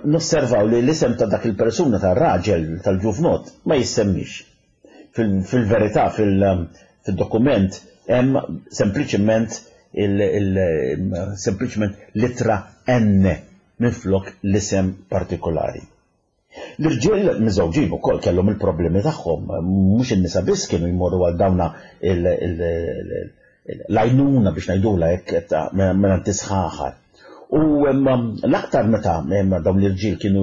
nosservaw li l-isem ta' dak il-persuna tar-raġel tal-ġuvnot ma jissemmix. Fil-verità, fil-dokument hemm sempliċement sempliċement litra N minflok l-isem partikolari. L-irġiel miżewġin ukoll kellhom il-problemi tagħhom, mhux in-nisa biss kienu jmorru għal dawna l-għajnuna biex ngħidulha hekk mingħand isħaħar. U l-aktar meta dawn l-irġiel kienu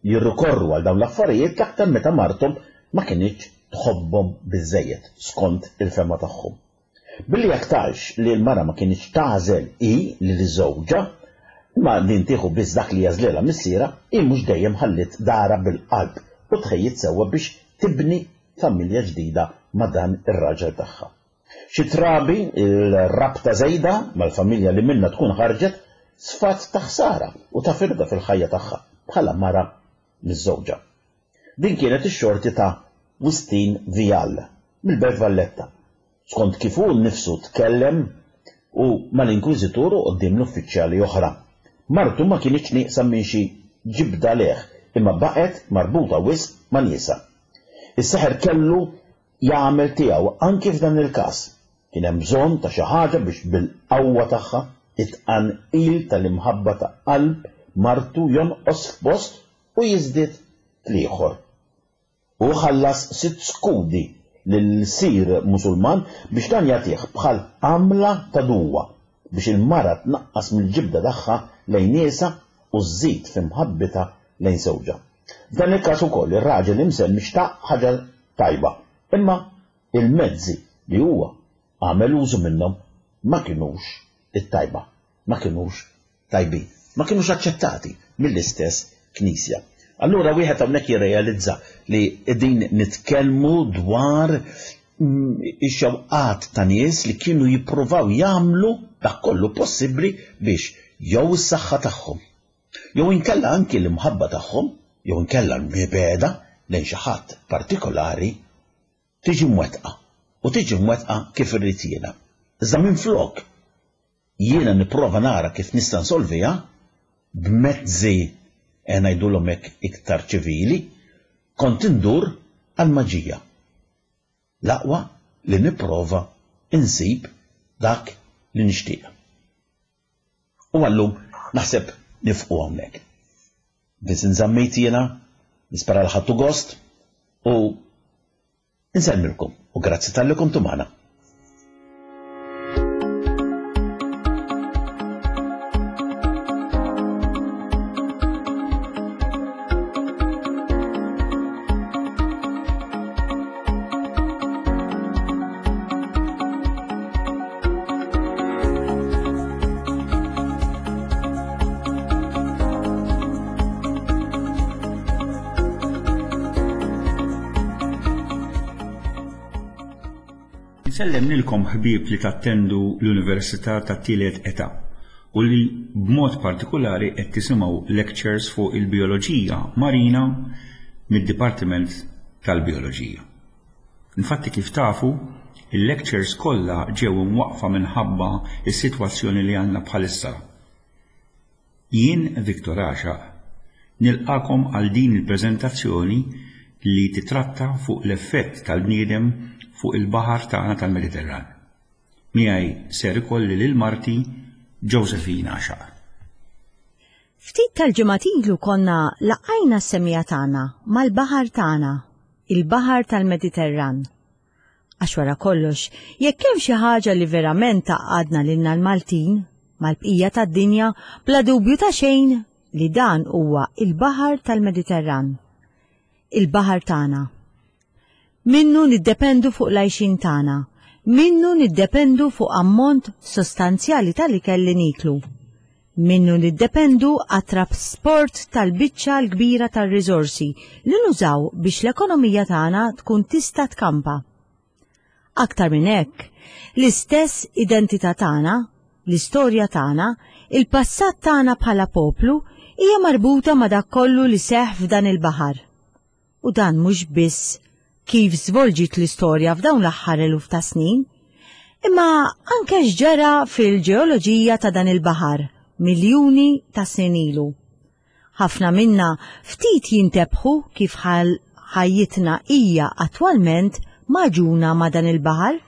jirrikorru għal dawn l-affarijiet, l-aktar meta marthom ma kinitx tħobbhom biżżejjed skont il-fema tagħhom. Billi aktarx li l-mara ma kinitx tagħżel hi lil żewġha, imma din tieħu biss dak li jażlilha missiera, hi mhux dejjem ħalliet darha bil-qalb u tħejjiet sewwa biex tibni familja ġdida ma' dan ir-raġel tagħha. Xi trabi l-rabta żejda mal-familja li minnha tkun ħarġet sfat ta' ħsara u ta' firda fil-ħajja tagħha bħala mara miż-żewġa. Din kienet ix-xorti ta' Wistin Vial mill-Belt Valletta. Skont kif hu nnifsu tkellem u mal-Inkwiżitur u quddiem l-uffiċjali oħra. Martu ma kinitx nieqsa minn xi ġibda leh, imma baqgħet marbuta wisq ma' niesha. Is-seħer kellu jagħmel tiegħu anki f'dan il-każ. Kien hemm bżonn ta' xi ħaġa biex bil-qawwa tagħha it-tqanqil tal-imħabba ta' qalb martu jonqos f'post u jiżdied fl-ieħor. U ħallas sitt skudi lil sir Musulman biex dan jagħtih bħal għamla ta' duwa biex il-mara tnaqqas mill-ġibda tagħha lejn niesha u żżid f'imħabbitha lejn żewġha. F'dan il-każ ukoll ir-raġel imsemmi xtaq ħaġa tajba, imma il-mezzi li huwa għamel użu minnhom ma kinux it-tajba, ma kinux tajbin, ma kinux aċċettati mill-istess Knisja. Allura wieħed hawnhekk jirrealizza li qegħdin nitkellmu dwar ix-xewqat ta' nies li kienu jippruvaw jagħmlu dak kollu possibbli biex jew is-saħħa tagħhom, jew inkella anki l-imħabba tagħhom, jew inkella l-mibegħda lejn xi ħadd partikolari tiġi mwettqa u tiġi mwettqa kif irrid jiena. Iżda minflok jiena nipprova nara kif nista' nsolviha b'mezzi e ngħidulhom hekk iktar ċivili, kont indur għall-maġija. L-aqwa li nipprova insib dak li nixtieq. U għallum naħseb nifqu hawnhekk. Vincent Zammit jiena, nispera li ħadtu gost u nsellmilkom u grazzi talli kontu magħna. Insellem lilkom ħbieb li tattendu l-Università tat-Tielet Età u li b'mod partikolari qed tisimgħu lectures fuq il-bioloġija marina mid-Dipartiment tal-Bioloġija. Infatti kif tafu, il-lectures kollha ġew imwaqqfa minħabba s-sitwazzjoni li għandna bħalissa. Jien Victor Għaxaq nilqakom għal din il-preżentazzjoni li titratta fuq l-effett tal-bniedem fuq il-baħar tagħna tal-Mediterran. Miegħi ser ikolli lil marti Josephine Għaxaq. Ftit tal-ġimgħat ilu konna laqajna s-semija tagħna mal-baħar tagħna, il-baħar tal-Mediterran. Għax wara kollox, jekk hemm xi ħaġa li verament tgħaqqadna lilna l-Maltin mal-bqija tad-dinja bla dubju ta' xejn li dan huwa il-baħar tal-Mediterran. Il-baħar tagħna. Minnu niddependu fuq l-għajxin tagħna, minnu niddependu fuq ammont sostanzjali tal-ikel li niklu. Minnu niddependu għat-trasport tal-biċċa l-kbira tar-riżorsi li nużaw biex l-ekonomija tagħna tkun tista' tkampa. Aktar minn hekk, l-istess identità tagħna, l-istorja tagħna, il-passat tagħna bħala poplu hija marbuta ma' dak kollu li seħħ f'dan il-baħar. U dan mhux biss kif żvolġiet l-istorja f'dawn l-aħħar eluf ta' snin, imma anke x'ġara fil-ġeoloġija ta' dan il-baħar miljuni ta' snin ilu. Ħafna minna ftit jintebħu kif ħajjitna hija attwalment maġuna ma' dan il-baħar.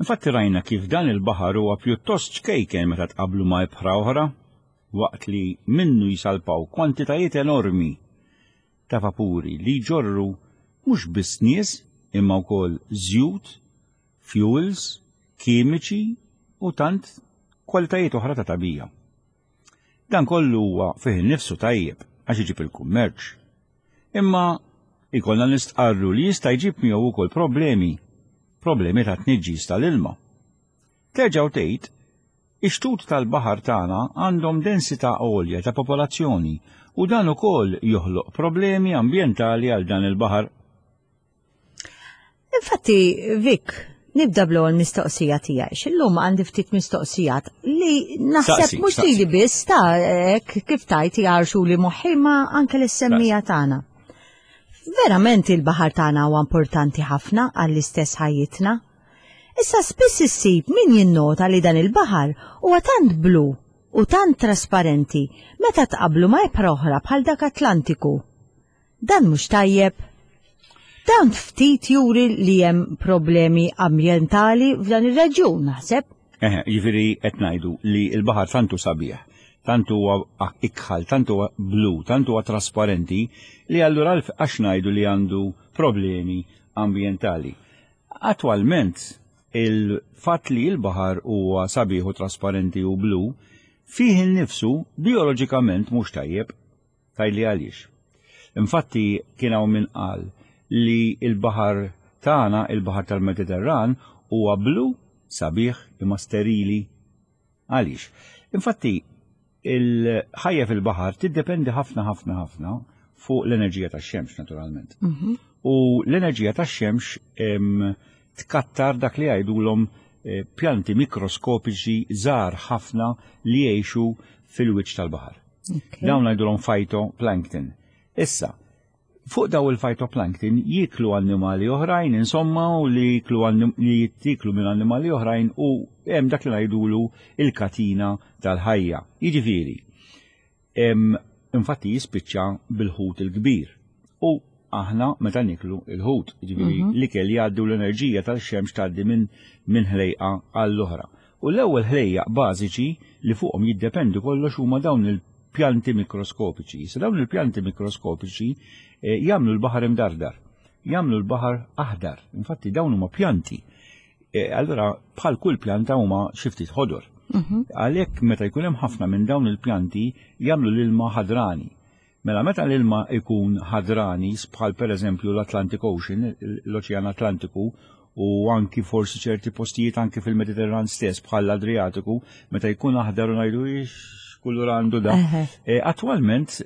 Infatti rajna kif dan il-baħar huwa pjuttost ċkejken meta tqablu ma' ibħra oħra, waqt li minnu jisalpaw kwantitajiet enormi ta' vapuri li jġorru mhux biss nies imma wkoll żjut, fuels, kimiċi u tant kwalitajiet oħra ta' tabija. Dan kollu huwa fih innifsu tajjeb għax iġib il-kummerċ. Imma ikollna nistqarru li jista' jġib miegħu wkoll problemi, problemi ta' tniġġis tal-ilma. Terġgħu tgħid, ix-xtut tal-baħar tagħna għandhom densità għolja ta' popolazzjoni u dan ukoll joħloq problemi ambjentali għal dan il-baħar. Infatti, Vic, nibda bl-ewwel mistoqsija tiegħi. X'illum għandi ftit mistoqsijat li naħseb mhux lili biss ta' hekk kif tajt jgħarxu li moħħi ma anke lis-semmija tagħna. Verament il-baħar tagħna huwa importanti ħafna għall-istess ħajjitna. Issa spiss issib min jinnota li dan il-baħar huwa tant blu u tant trasparenti meta tqablu ma' ibħra oħra bħal dak Atlantiku. Dan mhux tajjeb. Dan ftit juri li hemm problemi ambjentali f'dan ir-reġjun, naħseb. Eħe, jiġifieri qed ngħidu li l-baħar tantu sabiħ, tantu huwa ikħal, tantu huwa blu, tantu huwa trasparenti li allura għax ngħidu li għandu problemi ambjentali. Attwalment il-fatt li l-baħar huwa sabiħ u trasparenti u blu fih innifsu bioloġikament mhux tajjeb. Tgħidli għaliex. Infatti kien hawn min qal li l-baħar tagħna, il-baħar tal-Mediterran, huwa blu, sabiħ imma sterili. Għaliex? Infatti il-ħajja fil-baħar tiddependi ħafna ħafna ħafna fuq l-enerġija tax-xemx naturalment. Mhm. U l-enerġija tax-xemx tkattar dak li jgħidulhom pjanti mikroskopiċi żgħar ħafna li jgħixu fil-wiċċ tal-baħar. Okay. Dawn ngħidulhom phytoplankton. Issa, Fuq daw il-phytoplankton jiklu annimali oħrajn, insomma, u li jiklu li jittiklu minn annimali oħrajn u hemm dak li ngħidulu il-katina tal-ħajja. Jiġifieri, infatti jispiċċa bil-ħut il-kbir. U aħna meta niklu il-ħut, jiġifieri mhm. l-ikel jgħaddi l-enerġija tal-xemx tgħaddi minn min ħlejqa għall-oħra. U l-ewwel ħlejjaq bażiċi li fuqhom jiddependu kollox huma dawn il-pjanti mikroskopiċi. Sa dawn il-pjanti mikroskopiċi eh, jagħmlu l-baħar imdardar, jagħmlu l-baħar aħdar. Infatti dawn huma pjanti. Eh, allura bħal kull pjanta huma xi ftit ħodor. Mhm. Għalhekk meta jkun hemm ħafna minn dawn il-pjanti jagħmlu l-ilma ħadrani. Mela meta l-ilma ikun ħadrani bħal pereżempju l-Atlantic Ocean, l-Oċean Atlantiku, u anki forsi ċerti postijiet anki fil-Mediterran stess bħal l-Adriatiku, meta jkun aħdar u ngħidu kulur għandu da. E, Attwalment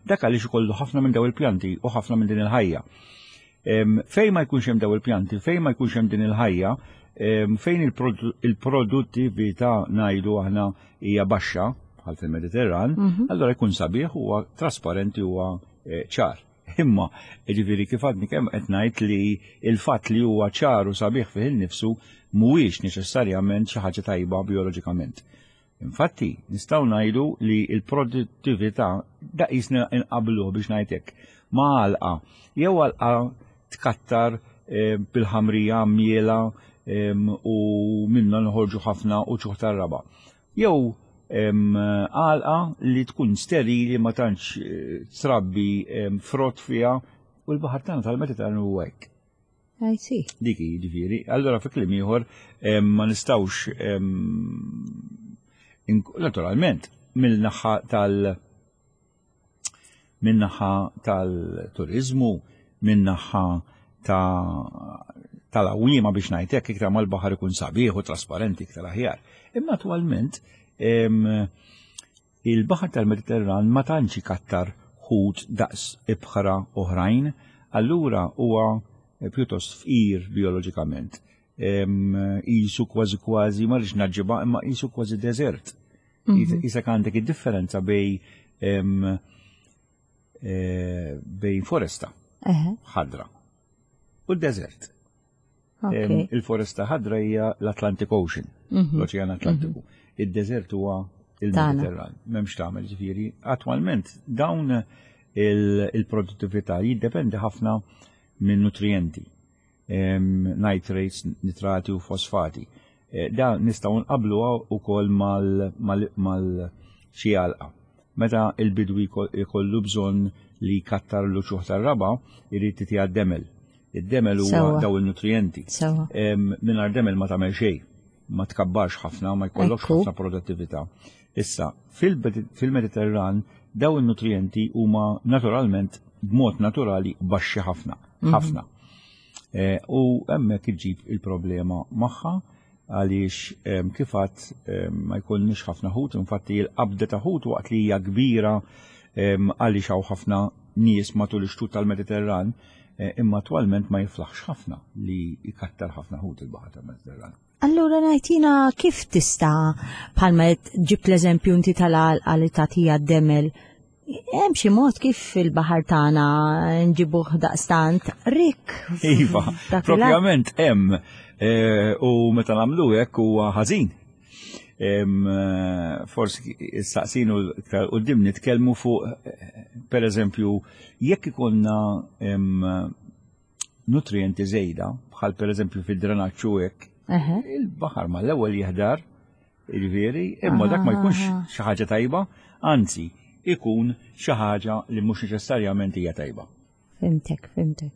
dak għaliex ikollu ħafna minn daw il-pjanti u ħafna minn din il-ħajja. Fejn ma jkunx hemm daw il-pjanti, fejn ma jkunx hemm din il-ħajja, fejn il-produttività ngħidu aħna hija baxxa bħal fil-Mediterran, mhm. allora jkun sabiħ huwa trasparenti huwa eh, ċar. Imma, ġifieri kif għadni kemm qed ngħid li il-fatt li huwa ċar u sabiħ fih innifsu mhuwiex neċessarjament xi ħaġa tajba bioloġikament. Infatti, nistgħu ngħidu li l-produttività daqisna inqabluh biex ngħidlek ma' għalqa jew għalqa tkattar eh, bil-ħamrija miela u minna nħorġu ħafna u ċuħ tar-raba. Jew għalqa li tkun sterili ma tantx eh, trabbi frott fiha u l-baħar tagħna tal-Mediterran huwa hekk. I see. Dik jiġifieri. Allura fi kliem ieħor ma nistgħux naturalment mill-naħa tal- min-naħa tal-turizmu, min-naħa ta' tal-għawima biex ngħidlek iktar mal-baħar ikun sabiħ u trasparenti iktar aħjar. Imma attwalment il-baħar tal-Mediterran ma tantx ikattar ħut daqs ibħra oħrajn, allura huwa pjuttost fqir bioloġikament. Isu kważi kważi, ma rridx naġġiba, imma isu kważi deżert. Mhm. Isek għandek id-differenza bej e, bejn foresta ħadra u d-deżert. Il-foresta ħadra hija l-Atlantic Ocean, mhm. l-Oċean Atlantiku. Mhm. Id-deżert huwa il-Mediterran. M'hemmx tagħmel ġifieri. Attwalment dawn il-produttività jiddependi ħafna minn nutrienti, nitrates, nitrati u fosfati. E, da nistgħu nqabluha wkoll mal xi għalqa. Meta il-bidwi jkollu bżonn li jkattar l-uċuħ tar-raba, irid titiha demel. Id-demel huwa daw il-nutrienti. Mingħajr demel ma tagħmel xejn, ma tkabbarx ħafna, ma jkollokx ħafna produttività. Issa, fil-Mediterran daw il-nutrienti huma naturalment b'mod naturali baxxi ħafna, mhm. ħafna. E, u hemmhekk iġib il-problema magħha għaliex kif għadt ma jkollniex ħafna ħut, infatti l-qabda ta' ħut waqt li hija kbira għaliex hawn ħafna nies matul ix-xtut tal-Mediterran, e, imma attwalment ma jiflaħx ħafna li jkattar ħafna ħut il-baħar tal-Mediterran. Allura ngħidina kif tista' bħalma ġibt l-eżempju inti tal-għalqa li tagħtija d-demel, hemm xi mod kif il-baħar tagħna nġibuh daqstant rik. Iva, propjament hemm e, u meta nagħmlu hekk huwa ħażin. E, forsi saqsinu iktar quddiem nitkellmu fuq per eżempju jekk ikollna nutrienti żejda bħal per eżempju fid-drenaġġ u hekk, il-baħar mal-ewwel jiħdar, jiġifieri, imma dak ma jkunx xi ħaġa tajba, anzi, ikun xi ħaġa li mhux neċessarjament hija tajba. Fimtek, fimtek.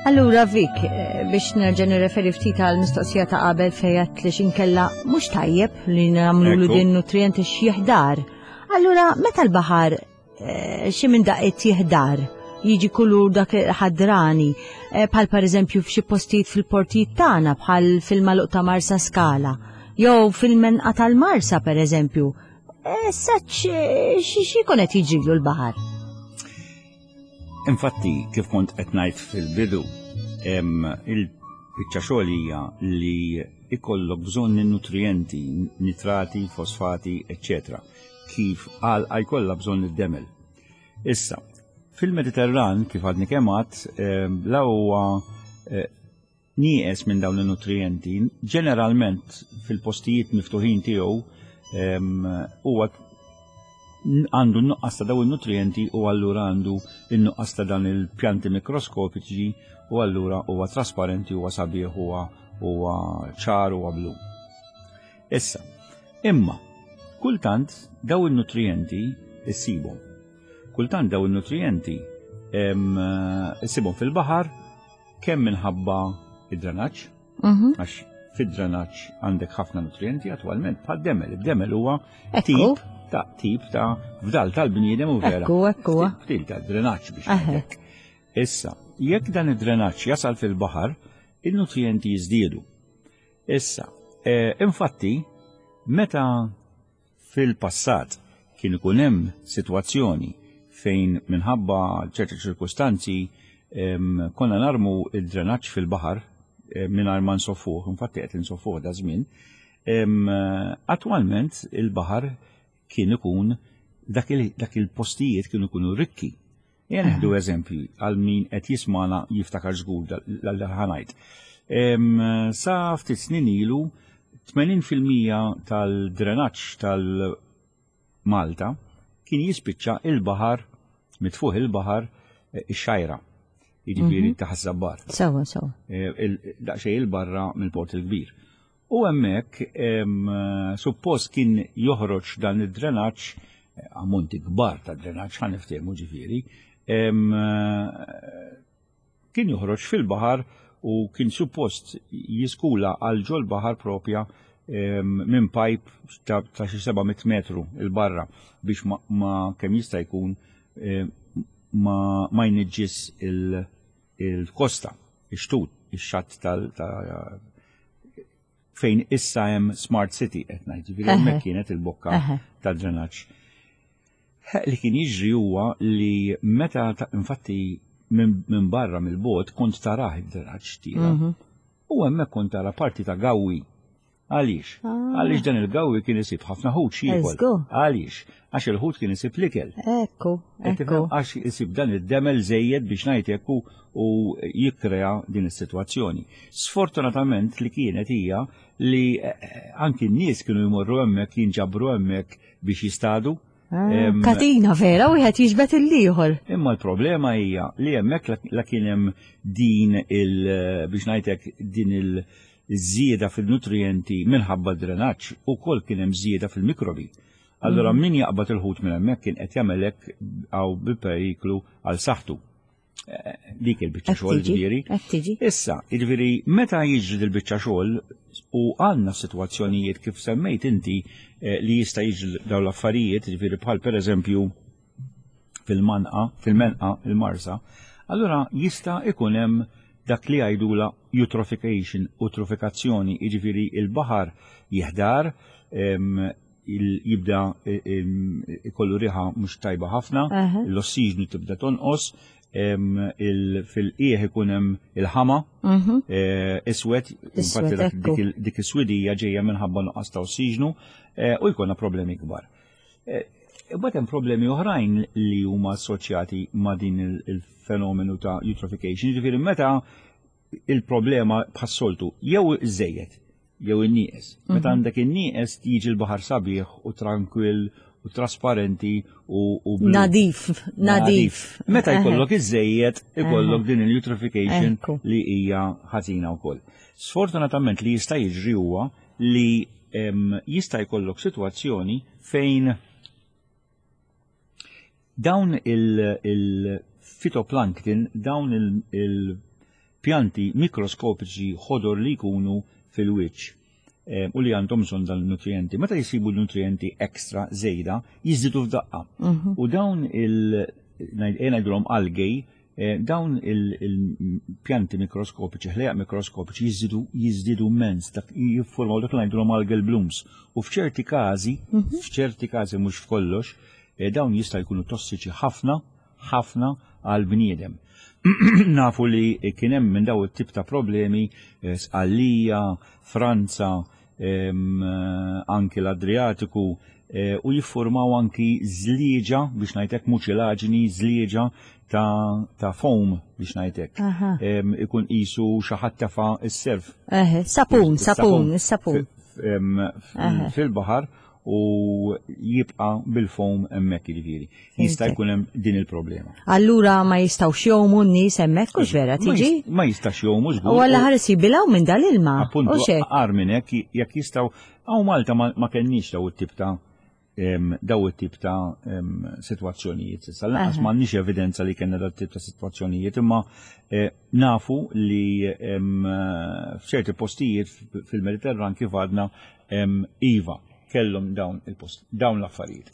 Allura Vik, eh, biex nerġa' nirreferi ftit għal mistoqsija ta' qabel fejn li xinkella mhux tajjeb li nagħmlu din nutrienti x'jiħdar. Allura meta l-baħar eh, xi minn daqqiet jiħdar, jiġi kulur dak ħadrani, eh, bħal pereżempju f'xi postijiet fil-portijiet tagħna bħal fil-maluq ta' Marsa Skala, jew fil-menqa tal-Marsa pereżempju. Eh, Saċ xi jkun qed jiġrilu l-baħar. Infatti, kif kont qed ngħid fil-bidu, em, il-biċċa xogħol hija li ikollok bżonn in-nutrijenti, nitrati, fosfati, eċċetera. Kif għal jkollha bżonn id-demel. Issa, fil-Mediterran, kif għadni kemm għedt, em, la huwa eh, nieqes minn dawn il-nutrijenti, ġeneralment fil-postijiet miftuħin tiegħu em, huwa għandu n-nuqqas ta' daw il-nutrijenti u allura għandu n-nuqqas ta' dan il-pjanti mikroskopiċi u allura huwa trasparenti, huwa sabiħ, huwa huwa ċar, huwa blu. Issa, imma, kultant daw il-nutrijenti issibhom. Kultant daw il-nutrijenti em, issibhom fil-baħar kemm minħabba id-drenaġġ, Mhm. għax fid-drenaġġ għandek ħafna nutrijenti attwalment bħal demel. Id-demel huwa Ekku. tip ta' tip ta' fdal tal-bniedem u vera. Ekku, ekku. Ftit ta' drenaġġ biex Eħe. ngħidlek. Issa, jekk dan id-drenaġġ jasal fil-baħar, il-nutrijenti jiżdiedu. Issa, eh, infatti, meta fil-passat kien ikun hemm sitwazzjoni fejn minħabba ċerti ċirkustanzi em, konna narmu id-drenaġġ fil-baħar eh, mingħajr ma nsoffuh, infatti qed insoffuh da żmien, em, attwalment il-baħar kien ikun dak il- dak il-postijiet kienu ikunu rikki. Ejja neħdu eżempju għal min qed jismana jiftakar żgur dal ħa ngħid. Em, Sa ftit snin ilu tmenin fil-mija tal-drenaġġ tal-Malta kien jispiċċa il-baħar, mitfuħ il-baħar eh, ix-Xgħajra, jiġifieri ta' Ħaż-Żabbar. Sewa, sewa. Eh, il- daqsxejn il-barra mill-Port il-Kbir. U hemmhekk em, suppost kien joħroġ dan id-drenaġġ, eh, ammonti kbar ta' drenaġġ ħa niftehmu ġifieri, em, eh, kien joħroġ fil-baħar u kien suppost jiskula għal ġol baħar propja em, minn pipe ta' ta' xi seba' mitt metru il-barra biex ma, ma kemm jista' jkun em, ma, ma jniġġis il- il-kosta, ix-xtut, ix-xatt tal ta' fejn issa hemm Smart City qed ngħid, ġifieri hemmhekk kienet il-bokka Eħe. tad-drenaġġ. Li kien jiġri huwa li meta ta- infatti minn min barra mill-bot kont tarah id-drenaġġ tiela. U hemmhekk kont tara parti ta' gawwi. Għaliex? Għaliex dan il-gawwi kien isib ħafna ħut x'jiekol. Eżgu. Għaliex? Għax il-ħut kien isib l-ikel. Ekku, Qed ekku. tifhem? Għax isib dan id-demel żejjed biex ngħid hekk u u jikkrea din is-sitwazzjoni. Sfortunatament li kienet hija li eh, anki n-nies kienu jmorru hemmhekk, jinġabru hemmhekk biex jistadu. Ah, Em, Katina vera, wieħed jiġbed il-ieħor. Imma l-problema hija li hemmhekk la- la kien hemm din il biex ngħidlek din il-żieda fil-nutrienti minħabba drenaġġ ukoll kien hemm żieda fil-mikrobi. Allora min jaqbad il-ħut minn hemmhekk kien qed jagħmel hekk għaw bil-periklu għal saħħtu. Eh, Dik il-biċċa Qed xogħol tiġi, ġifieri. qed tiġi. Issa, jiġifieri meta jiġri dil-biċċa xogħol u għandna sitwazzjonijiet kif semmejt inti eh, li jista' jiġri dawn l-affarijiet, jiġifieri bħal pereżempju fil-manqa, fil-menqa, il-Marsa, allura jista' ikun hemm dak li jgħidula eutrophication, eutrofikazzjoni, jiġifieri il-baħar jiħdar, em, il- jibda em, ikollu riħa mhux tajba ħafna, Aha. l-ossiġnu tibda tonqos, em, il- fil-qiegħ ikun hemm il-ħama, Mhm. eh, iswed, infatti dak- ekku. dik il- dik is-swidija ġejja minħabba nuqqas ta' ossiġnu eh, u jkollna problemi kbar. Eh, Imbagħad hemm problemi oħrajn li huma assoċjati ma' din il- il-fenomenu ta' eutrophication, ġifieri meta il-problema bħas-soltu jew iż-żejjed jew in-nieqes. Meta għandek in-nieqes jiġi l-baħar sabiħ u tranquill u trasparenti u, u blu. Nadif, nadif. Meta Eħe. jkollok iż-żejjed, ikollok din il-eutrophication Ekku. li hija ħażina wkoll. Sfortunatament li jista' jiġri huwa li em, jista' jkollok sitwazzjoni fejn dawn il-fitoplankton, dawn il-pjanti mikroskopiċi ħodor li jkunu fil-wiċċ. u li għandhom bżonn dan il-nutrienti. Meta jisibu nutrienti ekstra żejda, jiżdiedu f'daqqa. U dawn il- ngħidulhom algej, dawn il-pjanti mikroskopiċi, ħlejaq mikroskopiċi jiżdiedu jiżdiedu immens, dak jiffurmaw dak li ngħidulhom algal blooms. U f'ċerti każi, f'ċerti każi mhux f'kollox, dawn jista' jkunu tossiċi ħafna, ħafna għal bniedem. Nafu li kien hemm minn daw it-tip ta' problemi Sqallija, Franza, anki l-Adriatiku, u jiffurmaw anki żlieġa biex ngħidlek muċilaġni, żlieġa ta', ta' foam biex ngħidlek. Ikun qisu xi ħadd tefa' s-serf. Eħe, sapun, sapun, is-sapun. Fil-baħar u jibqa' bil-foam hemmhekk jiġifieri. Jista' jkun hemm din il-problema. Allura ma jistgħux jgħumu n-nies hemmhekk hux vera tiġi? Ma jistax jgħumu żgur. U alla ħares jibilgħu minn dal-ilma. Appuntu, agħar minn hekk jekk jistgħu hawn Malta ma kenniex daw it-tip ta' daw it-tip ta' sitwazzjonijiet. Issa lanqas m'għandniex evidenza li kellna dat tip ta' sitwazzjonijiet, imma nafu li f'ċerti postijiet fil-Mediterran kif għadna iva kellhom dawn il-post, dawn l-affarijiet.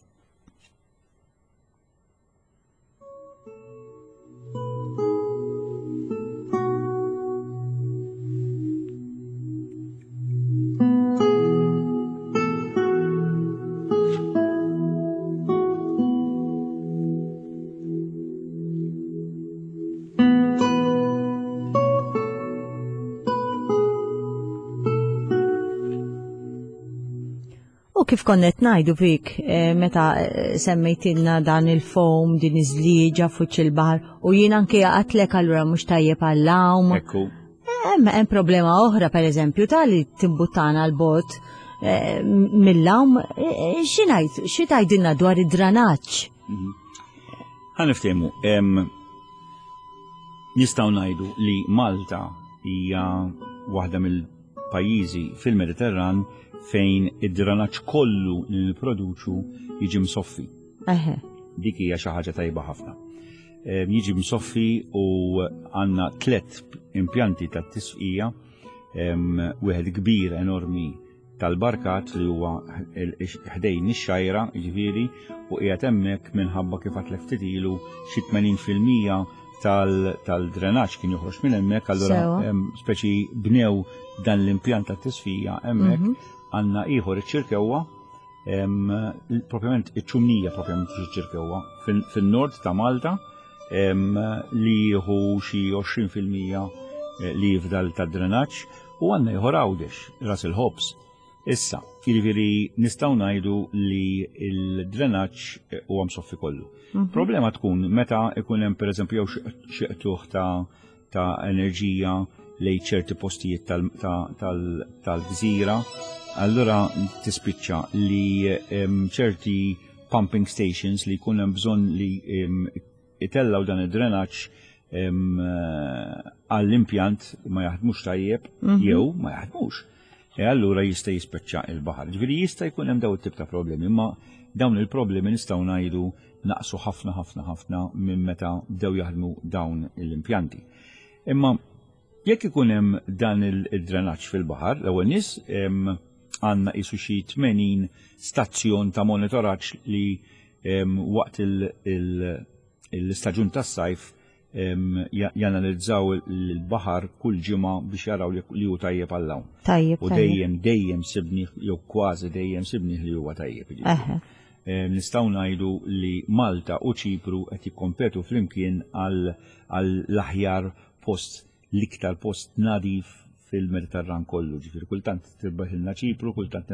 U kif konnet ngħidu fik meta semmejtilna dan il-foam, din iż-żlieġa fuq il-baħar, u jien anke għatlek allura mhux tajjeb għall-għawm. Ekku. Hemm hemm problema oħra pereżempju ta' li timbuttana l-bot mill-għawm. Xi ngħid, xi tgħidilna dwar id-dranaġġ? Ħa niftehmu, nistgħu ngħidu li Malta hija waħda mill-pajjiżi fil-Mediterran fejn id-dranaġġ kollu li nipproduċu jiġi msoffi. Eħe. Dik hija xi ħaġa tajba ħafna. Jiġi msoffi u għandna tliet impjanti ta' tisfija, wieħed kbir enormi tal-Barkat li huwa ħdejn ix-xajra, jiġifieri, u qiegħed hemmhekk minħabba kif għatlek ftit ilu xi tmenin fil-mija tal-drenaġġ kien joħroġ minn hemmhekk, allura speċi bnew dan l-impjant ta' tisfija hemmhekk. Għandna ieħor iċ-Ċirkewwa, propjament iċ-Ċumnija, propjament iċ-Ċirkewwa, fin-nord ta' Malta, li jieħu xi għoxrin fil-mija li jifdal ta' drenaġġ, u għandna ieħor Għawdex, Ras il-Ħobż. Issa, jiġifieri nistgħu ngħidu li l-drenaġġ huwa msoffi kollu. Problema tkun meta ikun hemm pereżempju jew xi qtugħ ta' enerġija lejn ċerti postijiet tal-gżira, allura tispiċċa li ċerti pumping stations li jkun hemm bżonn li itellaw dan id-drenaġġ għall-impjant ma jaħdmux tajjeb jew ma jaħdmux. E allura jista' jispiċċa il-baħar. Ġifieri jista' jkun hemm dawn it-tip ta' problemi, imma dawn il-problemi nistgħu ngħidu naqsu ħafna ħafna ħafna minn meta bdew jaħdmu dawn l-impjanti. Imma jekk ikun hemm dan il-drenaġġ fil-baħar, l-ewwel nies għandna qisu xi tmenin stazzjon ta' monitoraġġ li waqt l-istaġun tas-sajf janalizzaw il-baħar kull ġimgħa biex jaraw li hu tajjeb għall-għawm. Tajjeb, U dejjem, dejjem sibni, jew kważi dejjem sibni li huwa tajjeb, jiġifieri. Nistgħu ngħidu li Malta u Ċipru qed jikkompetu flimkien għall-aħjar post, l-iktar post nadif fil-Mediterran kollu, ġifieri kultant tirbaħilna Ċipru, kultant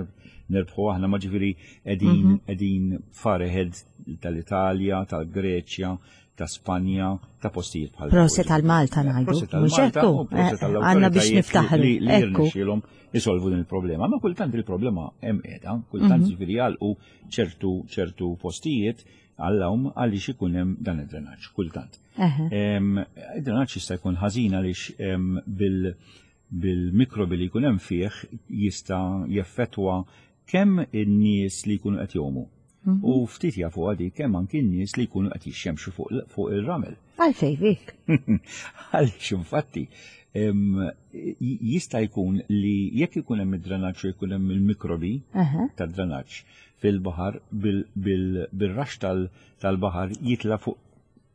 nerbħu aħna, ma ġifieri qegħdin qegħdin far ahead tal-Italja, tal-Greċja, ta' Spanja, ta' postijiet bħal Proset għal Malta ngħidu. Proset għal Mhux Malta hekk? u proset għall Għandna biex awtoritajiet niftaħru. li li Ekku. jirnexxielhom isolvu din il-problema. Ma kultant il-problema hemm qiegħda, kultant ġifieri jagħlqu ċertu, ċertu postijiet għall-għawm għaliex ikun hemm dan id-drenaġġ, kultant. Id-drenaġġ jista' jkun ħażin għaliex bil-, bil-mikrobi li jkun hemm fih jista' jeffettwa kemm in-nies li jkunu qed jgħumu. U ftit jafu għadi kemm anki n-nies li jkunu qed jixxemxu fuq fuq il-ramel. Għalfej, Vik. Għaliex infatti em, jista' jkun li jekk ikun hemm id-drenaġġ u jkun hemm il-mikrobi Aha. tad-drenaġġ fil-baħar bil-rax tal-baħar jitla fuq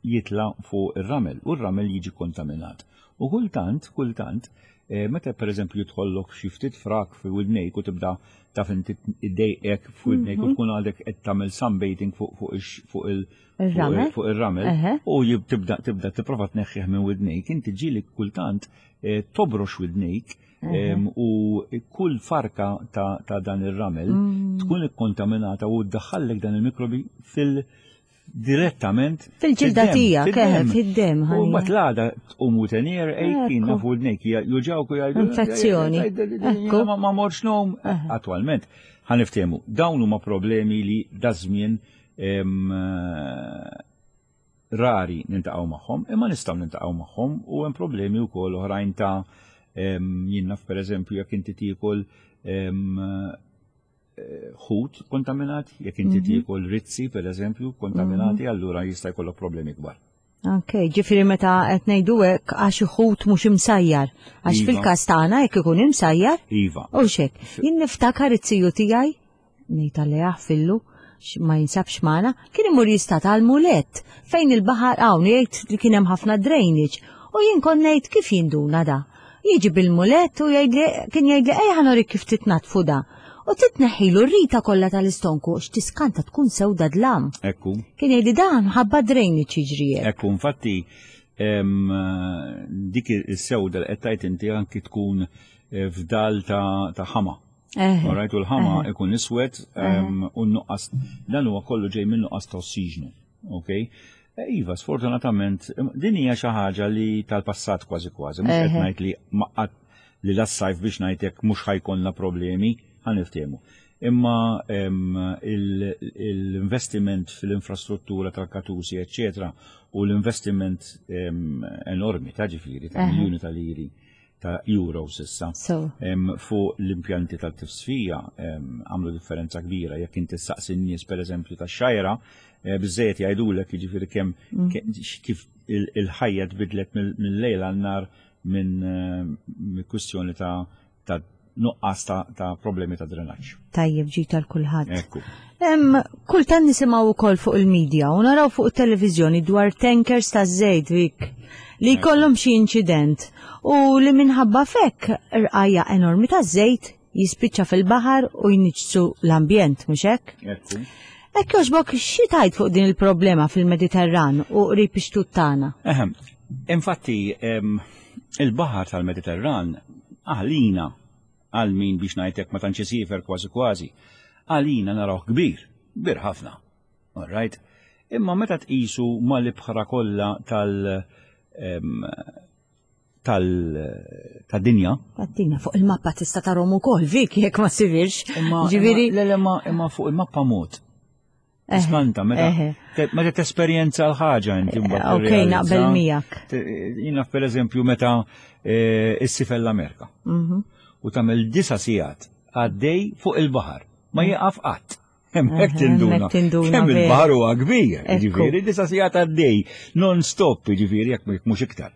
jitla fuq ir-ramel u r-ramel jiġi kontaminat. U kultant, kultant, eh, meta per eżempju jidħollok xi ftit frak fi widnejk u tibda taf inti iddejqek f'widnejk u tkun għadek qed tagħmel sunbathing fuq fuq ix- fuq il Ir-ramel? fuq ir-ramel Eħe. u jib- tibda tibda tipprova tneħħih minn widnejk, inti ġieli kultant eh, tobrox widnejk em, u kull farka ta', ta' dan ir-ramel tkun ikkontaminata u ddaħħallek dan il-mikrobi fil direttament Fil-ġilda fid-dem, tiegħek, fid-dem. eħe, fid-dem, U ħanija. mbagħad l-għada tqum u tenir, ejkin Ekku. nafu widnejk juġawk u jgħidu. Infezzjoni. Ekku. Ma ma morx nom. Attualment, ħa niftehmu, dawn huma problemi li daż-żmien em, eh, rari niltaqgħu magħhom, imma nistgħu niltaqgħu magħhom u hemm problemi wkoll oħrajn ta' em, jien naf pereżempju jekk inti tiekol em, eh, ħut kontaminat, jekk inti tiekol rizzi pereżempju kontaminati, allura jista' jkollok problemi kbar. Ok, ġifieri meta qed ngħidu hekk għax ħut mhux imsajjar. Għax Iva. fil-każ tagħna jekk ikun imsajjar, Iva. u xek. Jien niftakar iz-ziju tiegħi, ngħid għalli jaħfillu, x- ma jinsabx magħna, kien imur jistad għal-mulet fejn il-baħar hawn jgħid li kien hemm ħafna drainage. U jien kont ngħid kif jinduna da. Jiġi bil-mulet u jgħidli kien jgħidli ejja ħa nurik kif titnatfu da. U titneħħilu r-rita kollha tal-istonku x'tiskanta tkun sewda dlam. Ekku. Kien jgħidli dan ħabba drainage jiġri hekk. Ekku, infatti, em, dik is-sewda li qed tgħid inti anki tkun eh, fdal ta' ta' ħama. Eħe. Alright, u l-ħama ikun iswed em, u n-nuqqas, dan huwa kollu ġej minn nuqqas ta' ossiġnu. Ok? Eh, Iva, sfortunatament, din hija xi ħaġa li tal-passat kważi kważi, mhux qed Eħe. ngħid li maqat li las-sajf biex ngħidlek mhux ħa jkollna problemi, ħa niftehmu. Imma em, il- l-investiment fil-infrastruttura tal-katusi, eccetera, u l-investiment em, enormi ta' ġifieri, ta' Eħe. miljuni ta' liri ta' euros issa. So. Em, fuq l-impjanti tal-tifsfija em, għamlu differenza kbira. Jekk inti saqsi n-nies per eżempju ta' xajra, eh, biżejjed jgħidulek jiġifieri kemm ke- kif il- il-ħajja tbidlet mill- mill-lejl għan-nar minn eh, minn kwistjoni ta' ta' nuqqas ta' ta' problemi ta' drenaġġ. Tajjeb ġi tal-kulħadd. Ekku. Em, kultant nisimgħu wkoll fuq il-medja u naraw fuq it-televiżjoni dwar tankers ta' żejt Vik li jkollhom xi inċident u li minħabba fekk rqajja enormi ta' żejt jispiċċa fil-baħar u jniġsu l-ambjent, mhux hekk? Ekku. Hekk jogħġbok xi tgħid fuq din il-problema fil-Mediterran u qrib ix-xtut tagħna? Ehem, infatti, em, il-baħar tal-Mediterran għalina għal min biex ngħidlek ma tantx isiefer kważi kważi, għalina narawh kbir, kbir ħafna. All right? Imma meta tqisu mal-ibħra kollha tal em, tal tad-dinja, Għattina fuq il-mappa tista' tarahom ukoll Vik jekk ma sifirx. imma Ġifieri imma- le, le, ma imma fuq il-mappa mod. Eħe, Skanta, meta eħe. te- meta tesperjenza l-ħaġa inti mbagħad Ok, tirrealizza. naqbel miegħek. Te- Jiena per eżempju meta eh, issiefer l-Amerika Mhm. u tagħmel disa sigħat għaddej fuq il-baħar, ma jieqaf qatt. Hemmhekk Eħe, tinduna. hemmhekk tinduna, Kemm vera. il-baħar huwa kbir, Ekku. ġifieri disa sigħat għaddej, non-stop, ġifieri jekk jekk mhux iktar.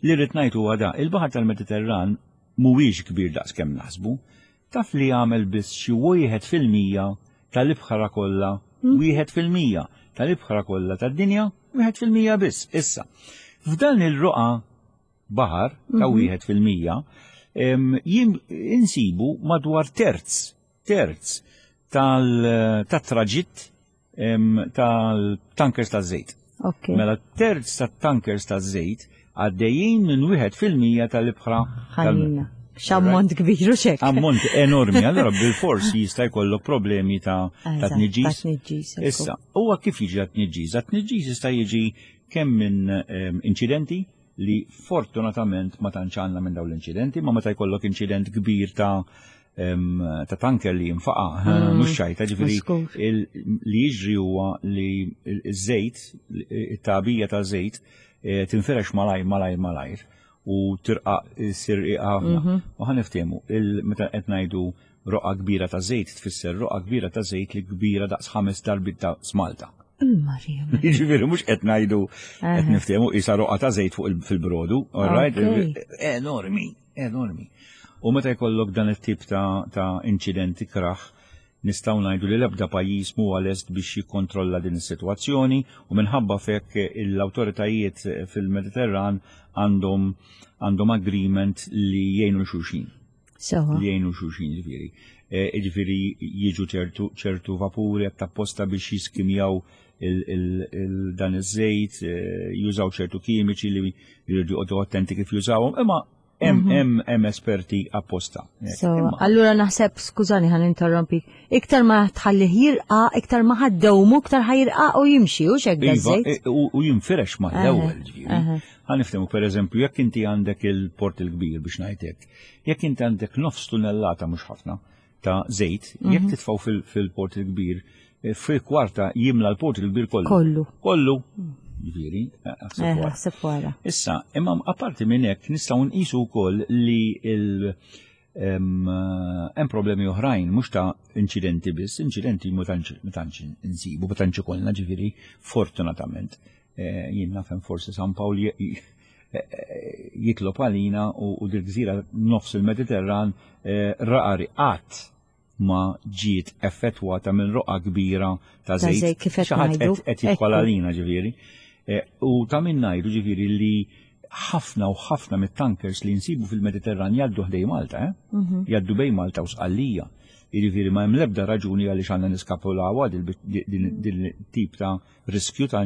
Li rrid ngħid huwa da, il-baħar tal-Mediterran mhuwiex kbir daqs kemm naħsbu, taf li jagħmel biss xi wieħed fil-mija tal-ibħra kollha, wieħed fil-mija tal-ibħra kollha tad-dinja, wieħed fil-mija biss. Issa, f'dan il-roqa baħar ta' wieħed fil-mija, em, jim insibu madwar terz, terz tal-traġitt tal-tankers taż-żejt. Ok. Mela terz tat-tankers taż-żejt għaddejjin minn wieħed fil-mija tal-ibħra tal- Ħanina. X'ammont kbir u xek. Ammont enormi, allora bil-fors jista' jkollok problemi ta' ta' Eżatt, tniġġis. ta' tniġġis, ekku. Issa, huwa kif jiġi għat-tniġġis? Għat-tniġġis jista' jiġi kemm minn em, inċidenti li fortunatament ma tantx għandna minn dawn l-inċidenti, ma meta jkollok inċident kbir ta' em, ta' tanker li jinfaqa, mhux xajta, ġifieri Żgur. il- li jiġri huwa li il-żejt, it-tagħbija ta' żejt, eh, tinfirex malajr, malajr, malajr u tirqa sir ħafna. U ħa niftehmu, il- meta qed ngħidu Roqgħa kbira ta' żejt tfisser roqgħa kbira ta' żejt li kbira daqs ħames darbiet ta' Malta. Marija. Jiġifieri mhux qed ngħidu qed niftehmu isa roqgħa ta' żejt fuq fil-brodu, all right? Enormi, enormi. U meta jkollok dan it-tip ta', ta inċidenti kraħ, nistgħu ngħidu li l-ebda pajjiż mhuwa lest biex jikkontrolla din is-sitwazzjoni u minħabba fekk l-awtoritajiet fil-Mediterran għandhom għandhom agreement li jgħinu xulxin. Sewa. Li jgħinu xulxin ġifieri. E, ġifieri jiġu ċertu ċertu vapuri apposta biex jiskimjaw dan iż-żejt, e, jużaw ċertu kimiċi li jridu joqogħdu attenti kif jużawhom, imma hemm hemm hemm esperti apposta. So, allura naħseb, skużani ħa ninterrompi, iktar ma tħallih jirqa, iktar ma ħa ddewmu, iktar ħa jirqa u jimxi, u xek Iva, e, u jinfirex ma l-ewwel ġifieri. Ħa niftehmu per eżempju, jekk inti għandek il-port il-kbir biex ngħidlek, jekk inti għandek nofs tunnellata mhux ħafna ta' żejt, jekk mhm. titfgħu fil-port il-kbir, e, fil-kwarta jimla l-port il-kbir kollu. Kollu. Kollu. Ġifieri, eh, wara. Issa, imma apparti minn hekk nistgħu nqisu wkoll li il hemm problemi oħrajn, mhux ta' inċidenti biss, inċidenti ma tantx insibu, ma tantx ikollna ġifieri fortunatament. Eh, jien nafhem forsi San Pawl eh, jitlob għalina u dil-gżira nofs il-Mediterran rari qatt ma ġiet effettwata minn roqgħa kbira ta' żejt. Kif qed qed jidħol għalina ġifieri. Eh, u ta' min ngħidu ġifieri li ħafna u ħafna mit-tankers li nsibu fil-Mediterran jgħaddu ħdej Malta, eh? Mhm. Jgħaddu bejn Malta u Sqallija. Jiġifieri ma hemm l-ebda raġuni għaliex għandna niskapulawha din tip ta' riskju ta'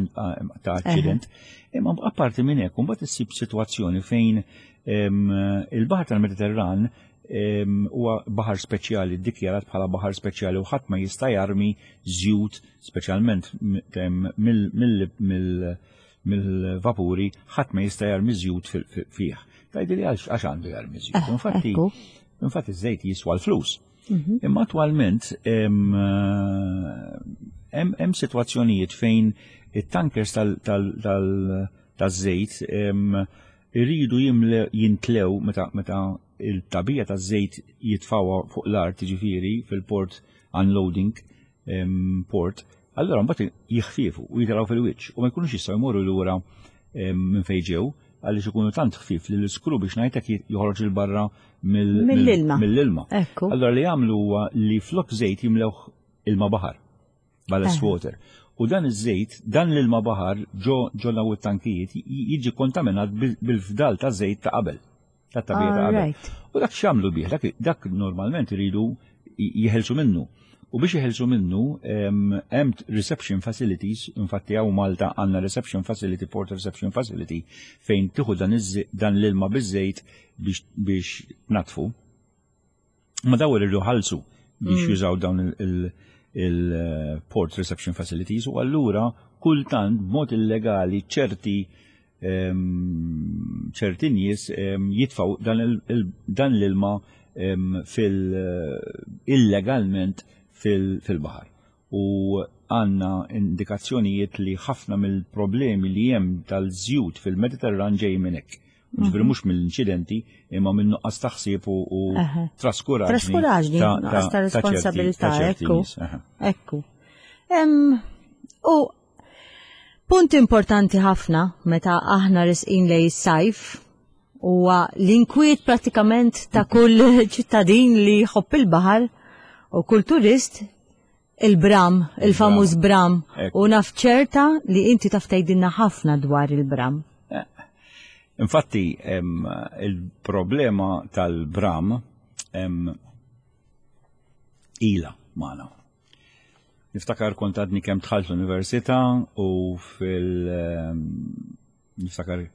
aċċident. Imma apparti minn hekk, mbagħad issib sitwazzjoni fejn il-baħar tal-Mediterran huwa baħar speċjali, ddikjarat bħala baħar speċjali u ħadd ma jista' jarmi żjut speċjalment mill-vapuri, ħadd ma jista' jarmi żjut fih. Tgħidli li għax għandu jarmi żjut. Eh, Infatti, ekku. infatti iż-żejt jiswa l-flus. Mhm. Imma attwalment hemm hemm sitwazzjonijiet fejn it-tankers tal-żejt iridu jimle jintlew meta meta il-tagħbija taż-żejt jitfgħuha fuq l-art ġifieri fil-port unloading em, port, allora mbagħad jiħfifu u jitilgħu fil-wiċċ u ma jkunux jistgħu jmorru lura em, minn fejn ġew għaliex ikunu tant ħfif li l-iskru biex ngħidlek joħroġ 'il barra mill- Mill-ilma. Mill-ilma. Ekku. Allora li jagħmlu huwa li flok żejt jimlewh ilma baħar, ballast Eh. water. U dan iż-żejt, dan l-ilma baħar ġo ġo daw it-tankijiet jiġi kontaminat bil- bil-fdal ta' żejt ta' qabel. Ta' tagħbija ta' qabel. Alright. U dak x'jagħmlu bih, dak, dak normalment iridu jeħelsu minnu. U biex jeħelsu minnu, em, hemm reception facilities, infatti hawn Malta għandna reception facility, port reception facility, fejn tieħu dan, iż- dan l-ilma biż-żejt biex, biex natfu. Ma daw irridu ħalsu biex jużaw dawn il-port reception facilities u allura kultant b'mod illegali ċerti em, ċerti nies em, jitfaw dan il- il- dan l-ilma em, fil illegalment fil- fil-baħar. U għanna indikazzjonijiet li ħafna mill-problemi li hemm tal-żjut fil-Mediterran ġej minn hekk. Ġifieri mhux mill-inċidenti imma minn nuqqas taħsib u, u Aha. traskuraġni. Traskuraġni, nuqqas ta' ċerti- responsabilità, ta' ċerti ekku. nies, aha. Ekku. Em, u punt importanti ħafna meta aħna resqin lejn is-sajf huwa l-inkwiet pratikament ta' kull ċittadin li jħobb il-baħar u kull turist il-bram, il-famuż bram. Ekku. U naf ċerta li inti taf tgħidilna ħafna dwar il-bram. Infatti, em, il-problema tal-bram em, ila magħna. Niftakar kont għadni kemm dħalt l-università u fil- em, niftakar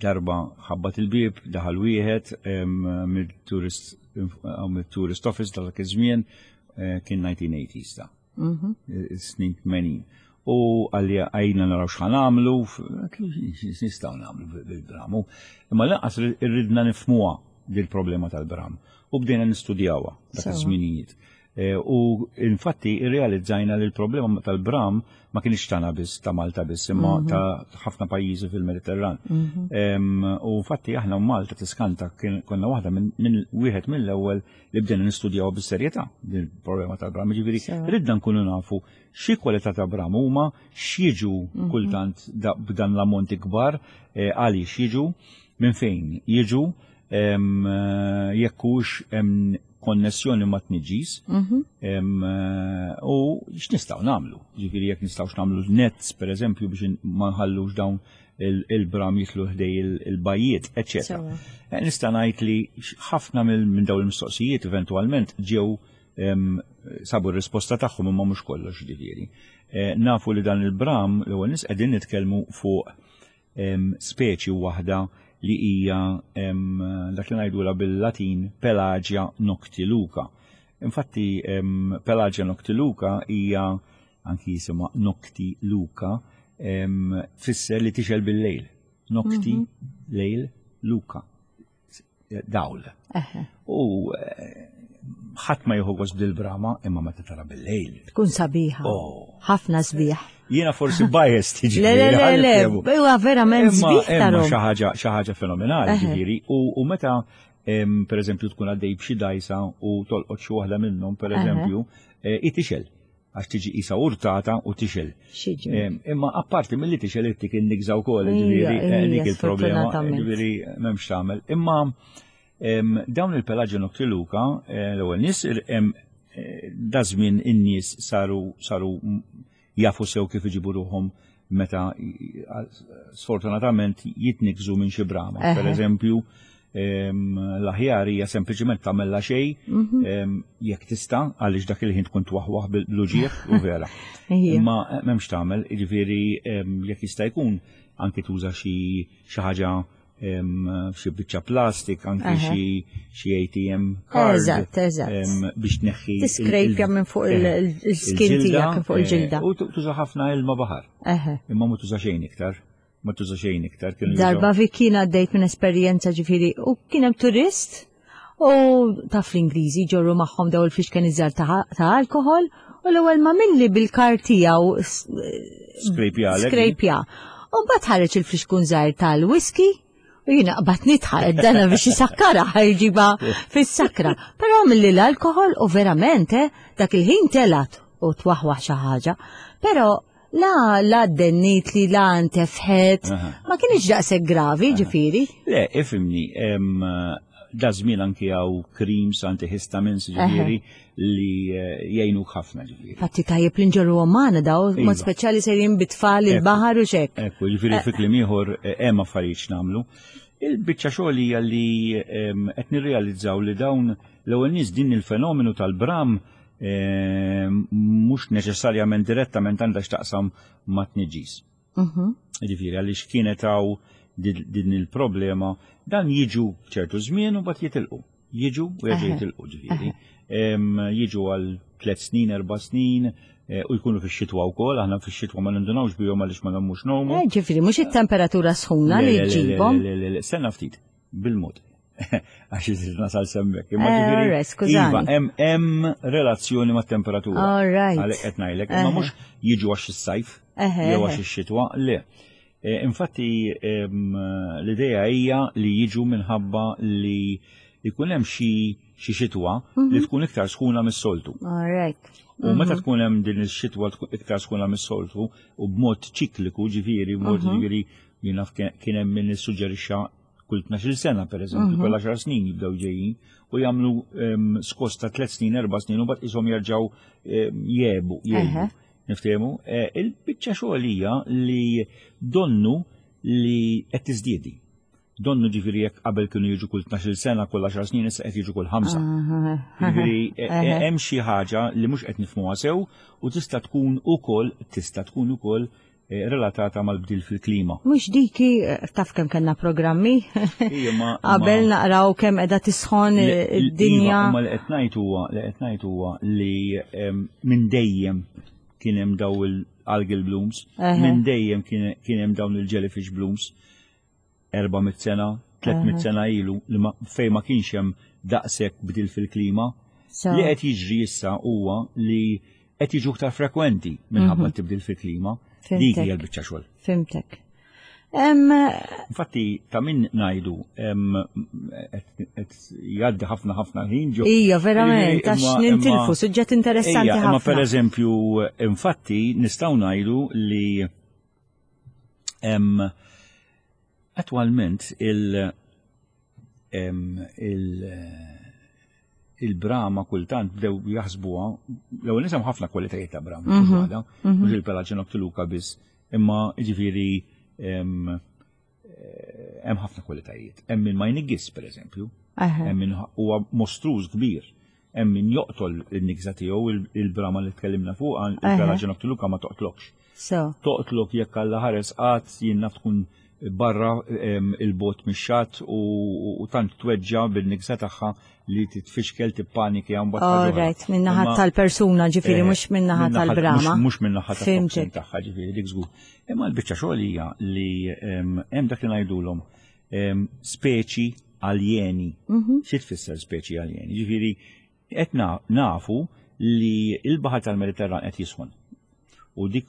darba ħabbat il-bib, daħal wieħed em, mill-tourist mill-tourist office dak iż-żmien eh, kien nineteen eighties ta' snin tmenin. U għalli għajna naraw x'ħa nagħmlu, nistgħu nagħmlu bil-bram. Imma lanqas irridna nifhmuha dil-problema tal-bram. U bdejna nistudjawha dak Sewa. iż-żminijiet. Eh, U infatti irrealizzajna li l-problema tal-bram ma kienx tagħna biss, ta' Malta biss, imma ta' ħafna pajjiżi fil-Mediterran. Em, U infatti aħna Malta tiskanta kien- konna waħda minn min, wieħed mill-ewwel li bdejna nistudjaw bis-serjetà din il-problema tal-bram. Ġifieri ridna nkunu nafu xi kwalità ta' bram huma, x'jiġu kultant da- b'dan l-ammonti kbar, eh, għaliex jiġu, minn fejn jiġu, em, eh, jekk hux hemm konnessjoni ma' tniġġis, em, eh, u x'nistgħu nagħmlu. Ġifieri jekk nistgħux nagħmlu nets pereżempju biex ma nħallux dawn il- il-bram jitlu ħdej il- il-bajjiet, eċċetera. Sewa. Eh, Nista' ngħid li ħafna mill- minn dawn il-mistoqsijiet eventwalment ġew em, sabu r-risposta tagħhom, imma mhux kollox ġifieri. Eh, Nafu li dan il-bram, l-ewwel nies, qegħdin nitkellmu fuq em, speċi waħda li hija em, dak li ngħidulha bil-Latin Pelagia noctiluca. Infatti em, Pelagia noctiluca hija, anki jisimha noctiluca, em, tfisser li tixgħel bil-lejl. Nocti, lejl, luca. Dawl. Eħe. U eh, ħadd ma jieħu gost bil-brama, imma meta tara bil-lejl. Tkun sabiħa. Oh. Ħafna sbieħ. Jiena forsi biased tiġi. Le, le, le, le, huwa verament Imma sbieħ imma tarahom. xi ħaġa xi ħaġa fenomenali, Eħe. ġifieri, u, u meta em, per eżempju tkun għaddej b'xi dajsa u tolqot xi waħda minnhom, per eżempju, eh, i tixgħel, għax tiġi isa urtata u tixgħel. Xiġi. Em, Imma apparti mill-li tixgħel, ittik in-nigża wkoll, Ija, ġifieri, eh, ija, dik il-problema, sfortunatament. ġifieri m'hemmx tagħmel. Imma em, dawn il-Pelagia noctiluca, eh, l-ewwel nies hemm eh, da żmien in-nies saru saru jafu sew kif iġibu ruħhom meta sfortunatament jitnikżu minn xi brama. Eħe. Per eżempju, em, l-aħjar hija sempliċement tagħmilha xejn Mhm. em, jekk tista', għaliex dak il-ħin tkun twaħwaħ bil-uġigħ u vera. Ija. Imma eh, m'hemmx tagħmel, jiġifieri em, jekk jista' jkun anki tuża xi xi ħaġa, em, xi biċċa plastik, anki Eħe. xi xi A T M card Eżatt, eżatt. em, biex tneħħi il- Tiskrejpja il- minn fuq il- eh, il- il-skin il-ġilda, tiegħek, minn fuq il-ġilda. eh, U tu- tuża ħafna ilma baħar. Eħe. Imma ma tuża xejn iktar. Ma tuża xejn iktar. Kienu Darba jużaw- vikina għaddejt minn esperjenza, ġifieri, u kien hemm turist u taf l-Ingliżi ġorru magħhom daw il-fixken iżgħar ta' ta' alkohol, u l-ewwel ma milli bil-kar tiegħu Skrejpjalek. skrejpja. U mbagħad ħareġ il-flixkun żgħir tal-whisky u jiena qbad nidħaq, dana biex jisakkara, ħajġiba fis-sakra. Però milli l-alkohol u verament eh, dak il-ħin telat u twaħwaħ xi ħaġa. Però la la dennit li la ntefħet, Aha. ma kienx daqshekk gravi, ġifieri. Le, ifhimni, em, da żmien anki hawn creams antihistamines, ġifieri, li eh, jgħinuk ħafna, ġifieri. Fatti tajjeb li nġorru magħna daw, Iva. mod speċjali sejrin bit-tfal il-baħar u xek. Ekku, ġifieri fi kliem ieħor eh, hemm affarijiet x'nagħmlu. Il-biċċa xogħol hija li em, qed nirrealizzaw li dawn, l-ewwel nies, din il-fenomenu tal-bram em, mhux neċessarjament direttament għandha x'taqsam ma' tniġġis. Mhm. Ġifieri għaliex kienet hawn din din il-problema, dan jiġu ċertu żmien u mbagħad jitilqu. Jiġu u jerġgħu Eħe. jitilqu, ġifieri. Em, Jiġu għal tliet snin, erba' snin, eh, u jkunu fix-xitwa wkoll, aħna fix-xitwa ma nindunawx bihom għaliex ma nagħmux ngħumu. Eh, ġifieri mhux it-temperatura sħuna li Le, le, le, ġġibhom. le, le, le, stenna ftit, bil-mod. Għax irrid nasal s'hemmhekk. Imma Eh, ġifieri, alright, skużani. Iva, hemm hemm relazzjoni mat-temperatura. All right. Għalhekk qed ngħidlek, imma Eħe. mhux jiġu għax is-sajf Eħe, jew eħe. għax ix-xitwa, le. Eh, Infatti em, l-idea hija li jiġu minħabba li jkun hemm xi xi xitwa li tkun iktar sħuna mis-soltu. All right. U meta tkun hemm din ix-xitwa tkun iktar sħuna mis-soltu u b'mod ċikliku, ġifieri, b'mod ġifieri jien naf kien kien hemm min issuġġerixxa kull tnax-il sena, pereżempju, kull għaxar snin jibdew ġejjin u jagħmlu em, skos ta' tliet snin, erba' snin, u mbagħad ishom jerġgħu em, jebu, Eħe. jgħibu. Niftehmu, Eh, il-biċċa xogħol hija li donnu li qed tiżdiedi. Donnu, ġifieri, jekk qabel kienu jiġu kull tnax-il sena, kull għaxar snin, issa qed jiġu kull ħamsa. Ġifieri e- e- hemm xi ħaġa li mhux qed nifhmuha sew u tista' tkun ukoll tista' tkun ukoll eh, relatata mal-bdil fil-klima. Mhux diki, eh, taf kemm kellna programmi Ija, ma- qabel ma- naqraw kemm qiegħda tisħon Le- id-dinja. Iva, imma li qed ngħid huwa li qed ngħid huwa li em, minn dejjem kien hemm daw il-algal blooms, Eħe. minn dejjem kien kien hemm dawn il-jellyfish blooms, erba' mitt sena, tliet mitt sena ilu li ma- fejn ma kienx hemm daqshekk bdil fil-klima. Li qed jiġri issa huwa li qed jiġu iktar frekwenti minħabba tibdil fil-klima. Dik hija l-biċċa xogħol. Fhimtek. Infatti, ta' min ngħidu qed jgħaddi ħafna ħafna ħin ġo. Ija, verament, għax nintilfu, suġġett interessanti ħafna. Imma per eżempju, infatti, nistgħu ngħidu li attwalment il- il-brama kultant bdew jaħsbuha, l-ewwel nisem ħafna kwalitajiet ta' brama, mhux il-Pelagia noctiluca biss, imma jiġifieri hemm ħafna kwalitajiet. Hemm min ma jniggis, per eżempju, hemm min huwa mostruż kbir, hemm min joqtol in-nigża tiegħu, il-brama li tkellimna fuq, il-Pelagia noctiluca ma toqtlokx. Toqtlok jekk Alla ħares qatt jien naf tkun barra il-bot mix-xatt u tant tweġġa bil-nigża tagħha li titfixkel, tippaniki għam bat. All right, min-naħa tal-persuna ġifieri, mhux min-naħa tal-brama. Mhux min-naħa tal-toxin tagħha ġifieri, dik żgur. Imma l-biċċa xogħol hija li hemm dak li ngħidulhom speċi aljeni. Xi tfisser speċi aljeni? Ġifieri qed nafu li l-baħar tal-Mediterran qed jisħon. U dik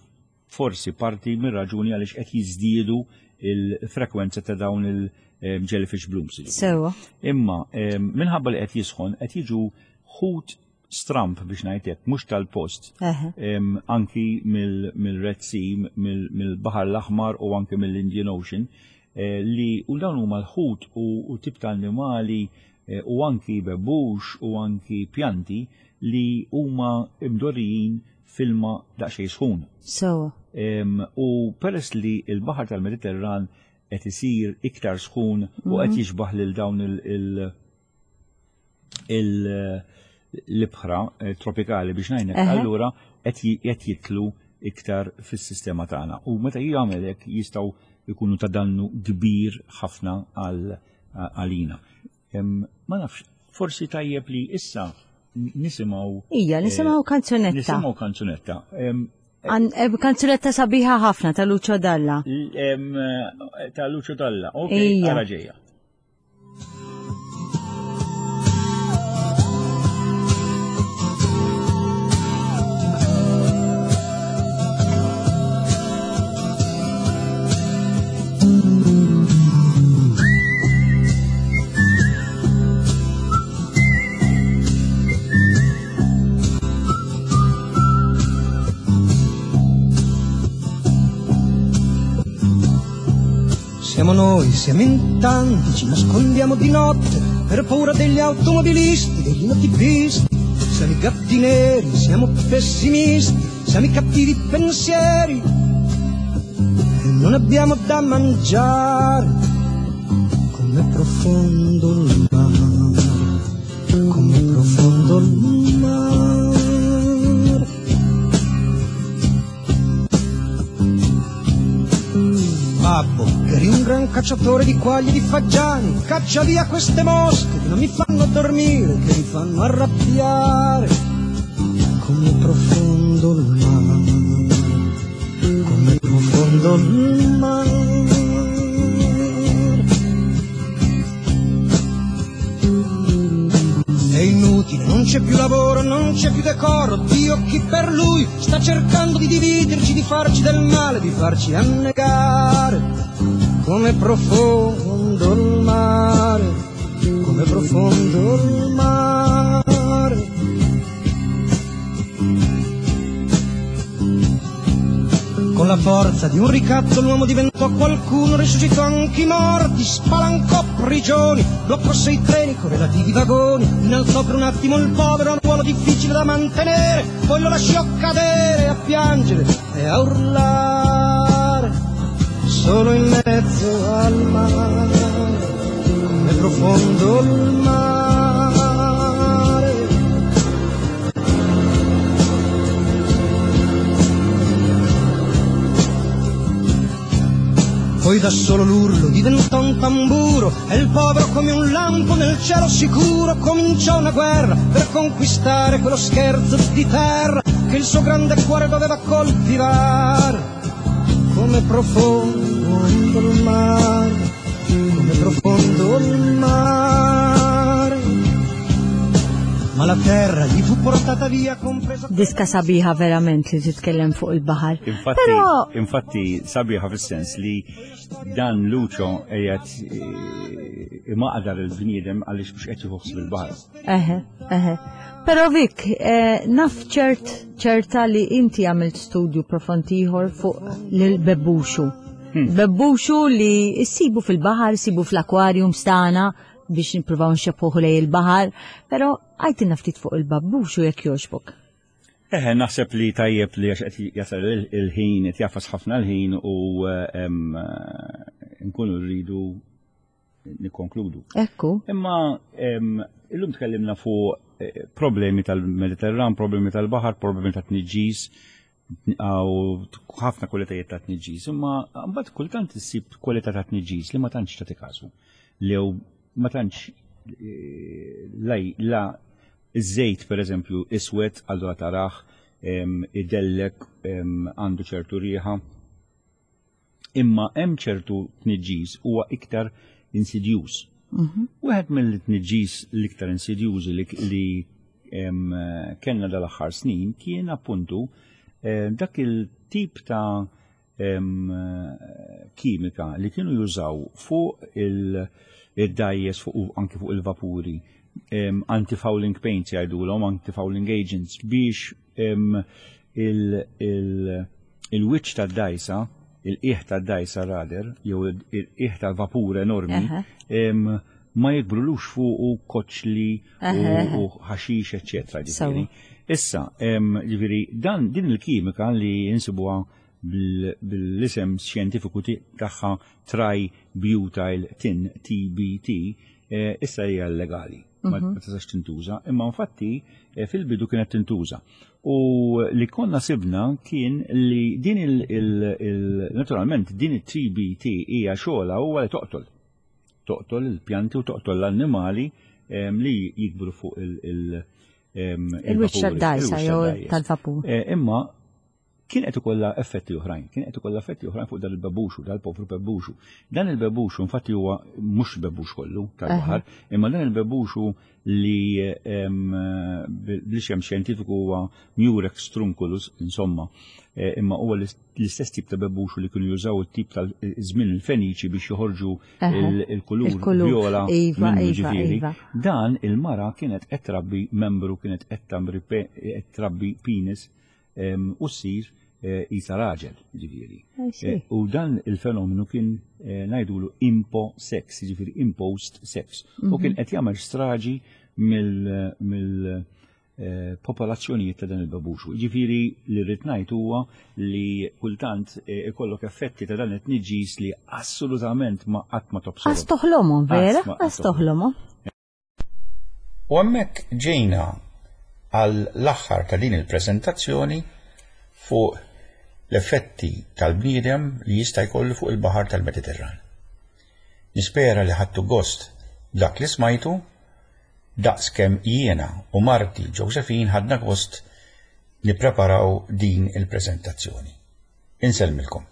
forsi parti mir-raġuni għaliex qed jiżdiedu il-frekwenza ta' dawn il-jellyfish blooms. Sewa. Imma minħabba li qed jisħon qed jiġu ħut stramp biex ngħidlek, mhux tal-post. Anki mill-Red Sea, mill-Baħar l-Aħmar u anki mill-Indian Ocean, li u dawn huma l-ħut u tip ta' annimali u anki bebux u anki pjanti li huma mdorrijin filma daqsxejn sħun. Sewa. U peress li l-baħar tal-Mediterran qed isir iktar sħun u qed jixbaħ lil dawn l-ibħra tropikali biex ngħidlek, allura qed jitlu iktar fis-sistema tagħna. U meta jagħmel hekk jistgħu jkunu ta' dannu kbir ħafna għalina. Ma nafx, forsi tajjeb li issa nisimgħu. Ija, nisimgħu kanzunetta. Nisimgħu kanzunetta. Kanzunetta sabiħa ħafna ta' Lucio Dalla. Ta' Lucio Dalla, ok, ara ġejja. Siamo noi, siamo in tanti, ci nascondiamo di notte per paura degli automobilisti, degli notipisti. Siamo i gatti neri, siamo pessimisti, siamo i cattivi pensieri e non abbiamo da mangiare. Com'è profondo il mare, com'è profondo il mare. Babbo, eri un gran cacciatore di quaglie e di fagiani, caccia via queste mosche che non mi fanno dormire, che mi fanno arrabbiare. Com'è profondo il mare, com'è profondo il mare. È inutile, non c'è più lavoro, non c'è più decoro, Dio chi per lui sta cercando di dividerci, di farci del male, di farci annegare. Com'è profondo il mare, com'è profondo il mare. Con la forza di un ricatto l'uomo diventò qualcuno, risuscitò anche i morti, spalancò prigioni, bloccò sei treni con relativi vagoni, innalzò per un attimo il povero a un ruolo difficile da mantenere, poi lo lasciò cadere a piangere e a urlare, solo in mezzo al mare, com'è profondo il mare. Poi da solo l'urlo diventò un tamburo e il povero come un lampo nel cielo sicuro cominciò una guerra per conquistare quello scherzo di terra che il suo grande cuore doveva coltivare. Come profondo il mare, come profondo il mare. Ma la terra gli fu portata via compresa. Diska sabiħa verament li titkellem fuq il-baħar. Infatti, Però infatti sabiħa fis-sens li dan Lucio qiegħed eh, imaqdar il-bniedem għaliex mhux qed jieħu il-baħar. Eħe, eħe. Però Vik, eh, naf ċert ċerta li inti għamilt studju profond ieħor fuq l-bebbuxu. Bebbuxu li issibu fil-baħar, issibu fl-aquarium stana biex nippruvaw nxebħuh lejn il-baħar, però għidilna ftit fuq il-bebbuxu jekk jogħġbok. Eħe, naħseb li tajjeb li għax qed jasal il- il-ħin, qed jagħfas ħafna l-ħin u eh, em, eh, nkunu rridu nikkonkludu. Ekku. Imma em, illum tkellimna fuq eh, problemi tal-Mediterran, problemi tal-baħar, problemi ta' tniġġis, u ħafna kwalitajiet ta' tniġġis, imma mbagħad kultant issib kwalità ta' tniġġis li ma tantx tagħti kasu. Li jew ma tantx eh, laj la iż-żejt per eżempju iswed allura tarah em, idellek em, għandu ċertu riħa. Imma hemm ċertu tniġġis huwa iktar insidjuż. Wieħed mill-tniġġis l-iktar insidjużi li, li em, kellna dal-aħħar snin kien appuntu eh, dak il-tip ta' em, kimika li kienu jużaw fuq il- id-dgħajjes fuq u anki fuq il-vapuri em, anti-fouling paints jgħidulhom, anti-fouling agents biex em, il- il- il-wiċċ tad-dgħajsa, il-qiegħ tad-dgħajsa rudder, jew il-qiegħ tal-vapur enormi, Eħe. em, ma jikbrulux fuqu koċli Eħe. u u ħaxix, eccetera. Sewwa. Ġifieri. Issa, em, ġifieri, dan din il-kimika li insibuha bil- bil-isem xjentifiku ti- tagħha tributyl tin T B T, eh, issa hija illegali. Ma ma tistax tintuża, imma infatti eh, fil-bidu kienet tintuża. U li konna sibna kien li din il, il, il naturalment din it-T B T hija xogħla huwa li toqtol. Toqtol il-pjanti u toqtol l-annimali em, li jikbru fuq il- il- em, Il-wiċċ il-vapuri, tad-dgħajsa il-wiċċ jew tad-dgħajjes. tal-vapur. Eh, Imma kien qed ikollha effetti oħrajn, kien qed ikollha effetti oħrajn fuq dan il-bebbuxu, dal-povru bebbuxu. Dan il-bebbuxu infatti huwa mhux bebbuxu kollu tal-baħar, imma dan il-bebbuxu li em, bl-isem xjentifiku huwa Murex trunculus, insomma, eh, imma huwa l-istess tip ta' bebbuxu li kienu jużaw it-tip tal-żmien il-Feniċi biex joħorġu Eħe. il- il-kulur Il-kulur. viola Iva, minnu iva, ġifieri. iva. Dan il-mara kienet qed trabbi membru, kienet qed tamri pe- qed trabbi penis em, u ssir eh, isa raġel, ġifieri. I see. Eh, U dan il-fenomenu kien eh, ngħidulu impo sex, ġifieri imposed sex. U kien qed jagħmel straġi mill mill eh, popolazzjonijiet ta' dan il-babuxu. Ġifieri li rrid ngħid huwa li kultant eh, ikollok effetti ta' dan it-tniġġis li assolutament ma qatt ma tobsorhom. Għas toħlomhom, vera? Qatt ma- Għas toħlomhom. U hemmhekk ġejna għall-aħħar ta' din il-preżentazzjoni fuq l-effetti tal-bniedem li jista' jkollu fuq il-baħar tal-Mediterran. Nispera li ħadtu gost dak li smajtu daqs kemm jiena u marti Josephine ħadna gost nippreparaw din il-preżentazzjoni. Insellmilkom.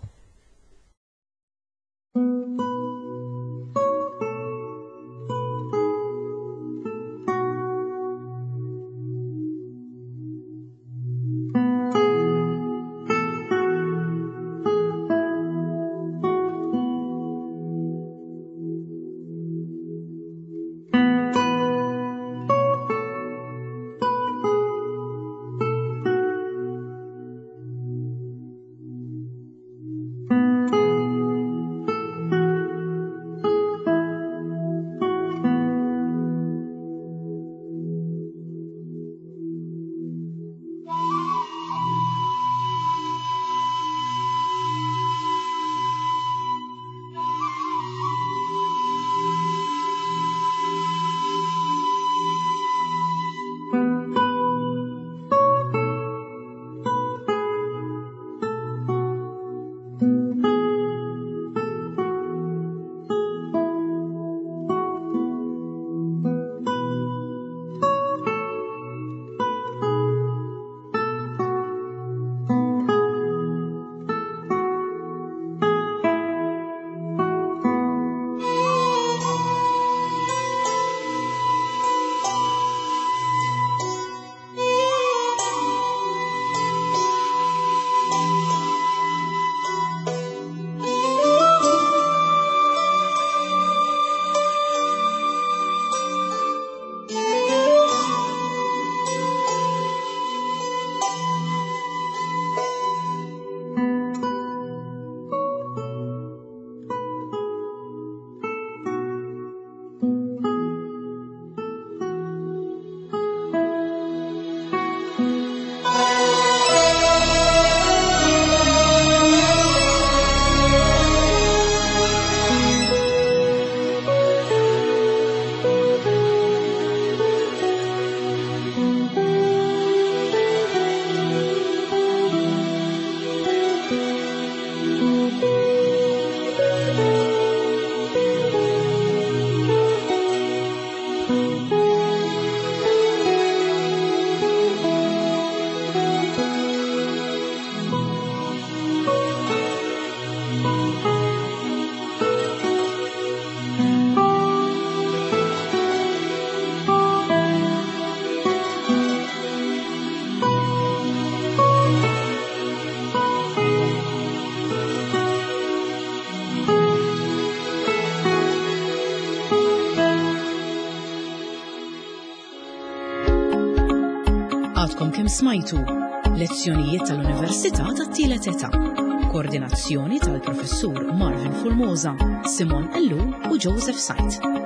Għadkom kemm smajtu lezzjonijiet tal-Università tat-Tielet Età. Koordinazzjoni tal-Professur Marvin Formosa, Simon Ellul u Joseph Said.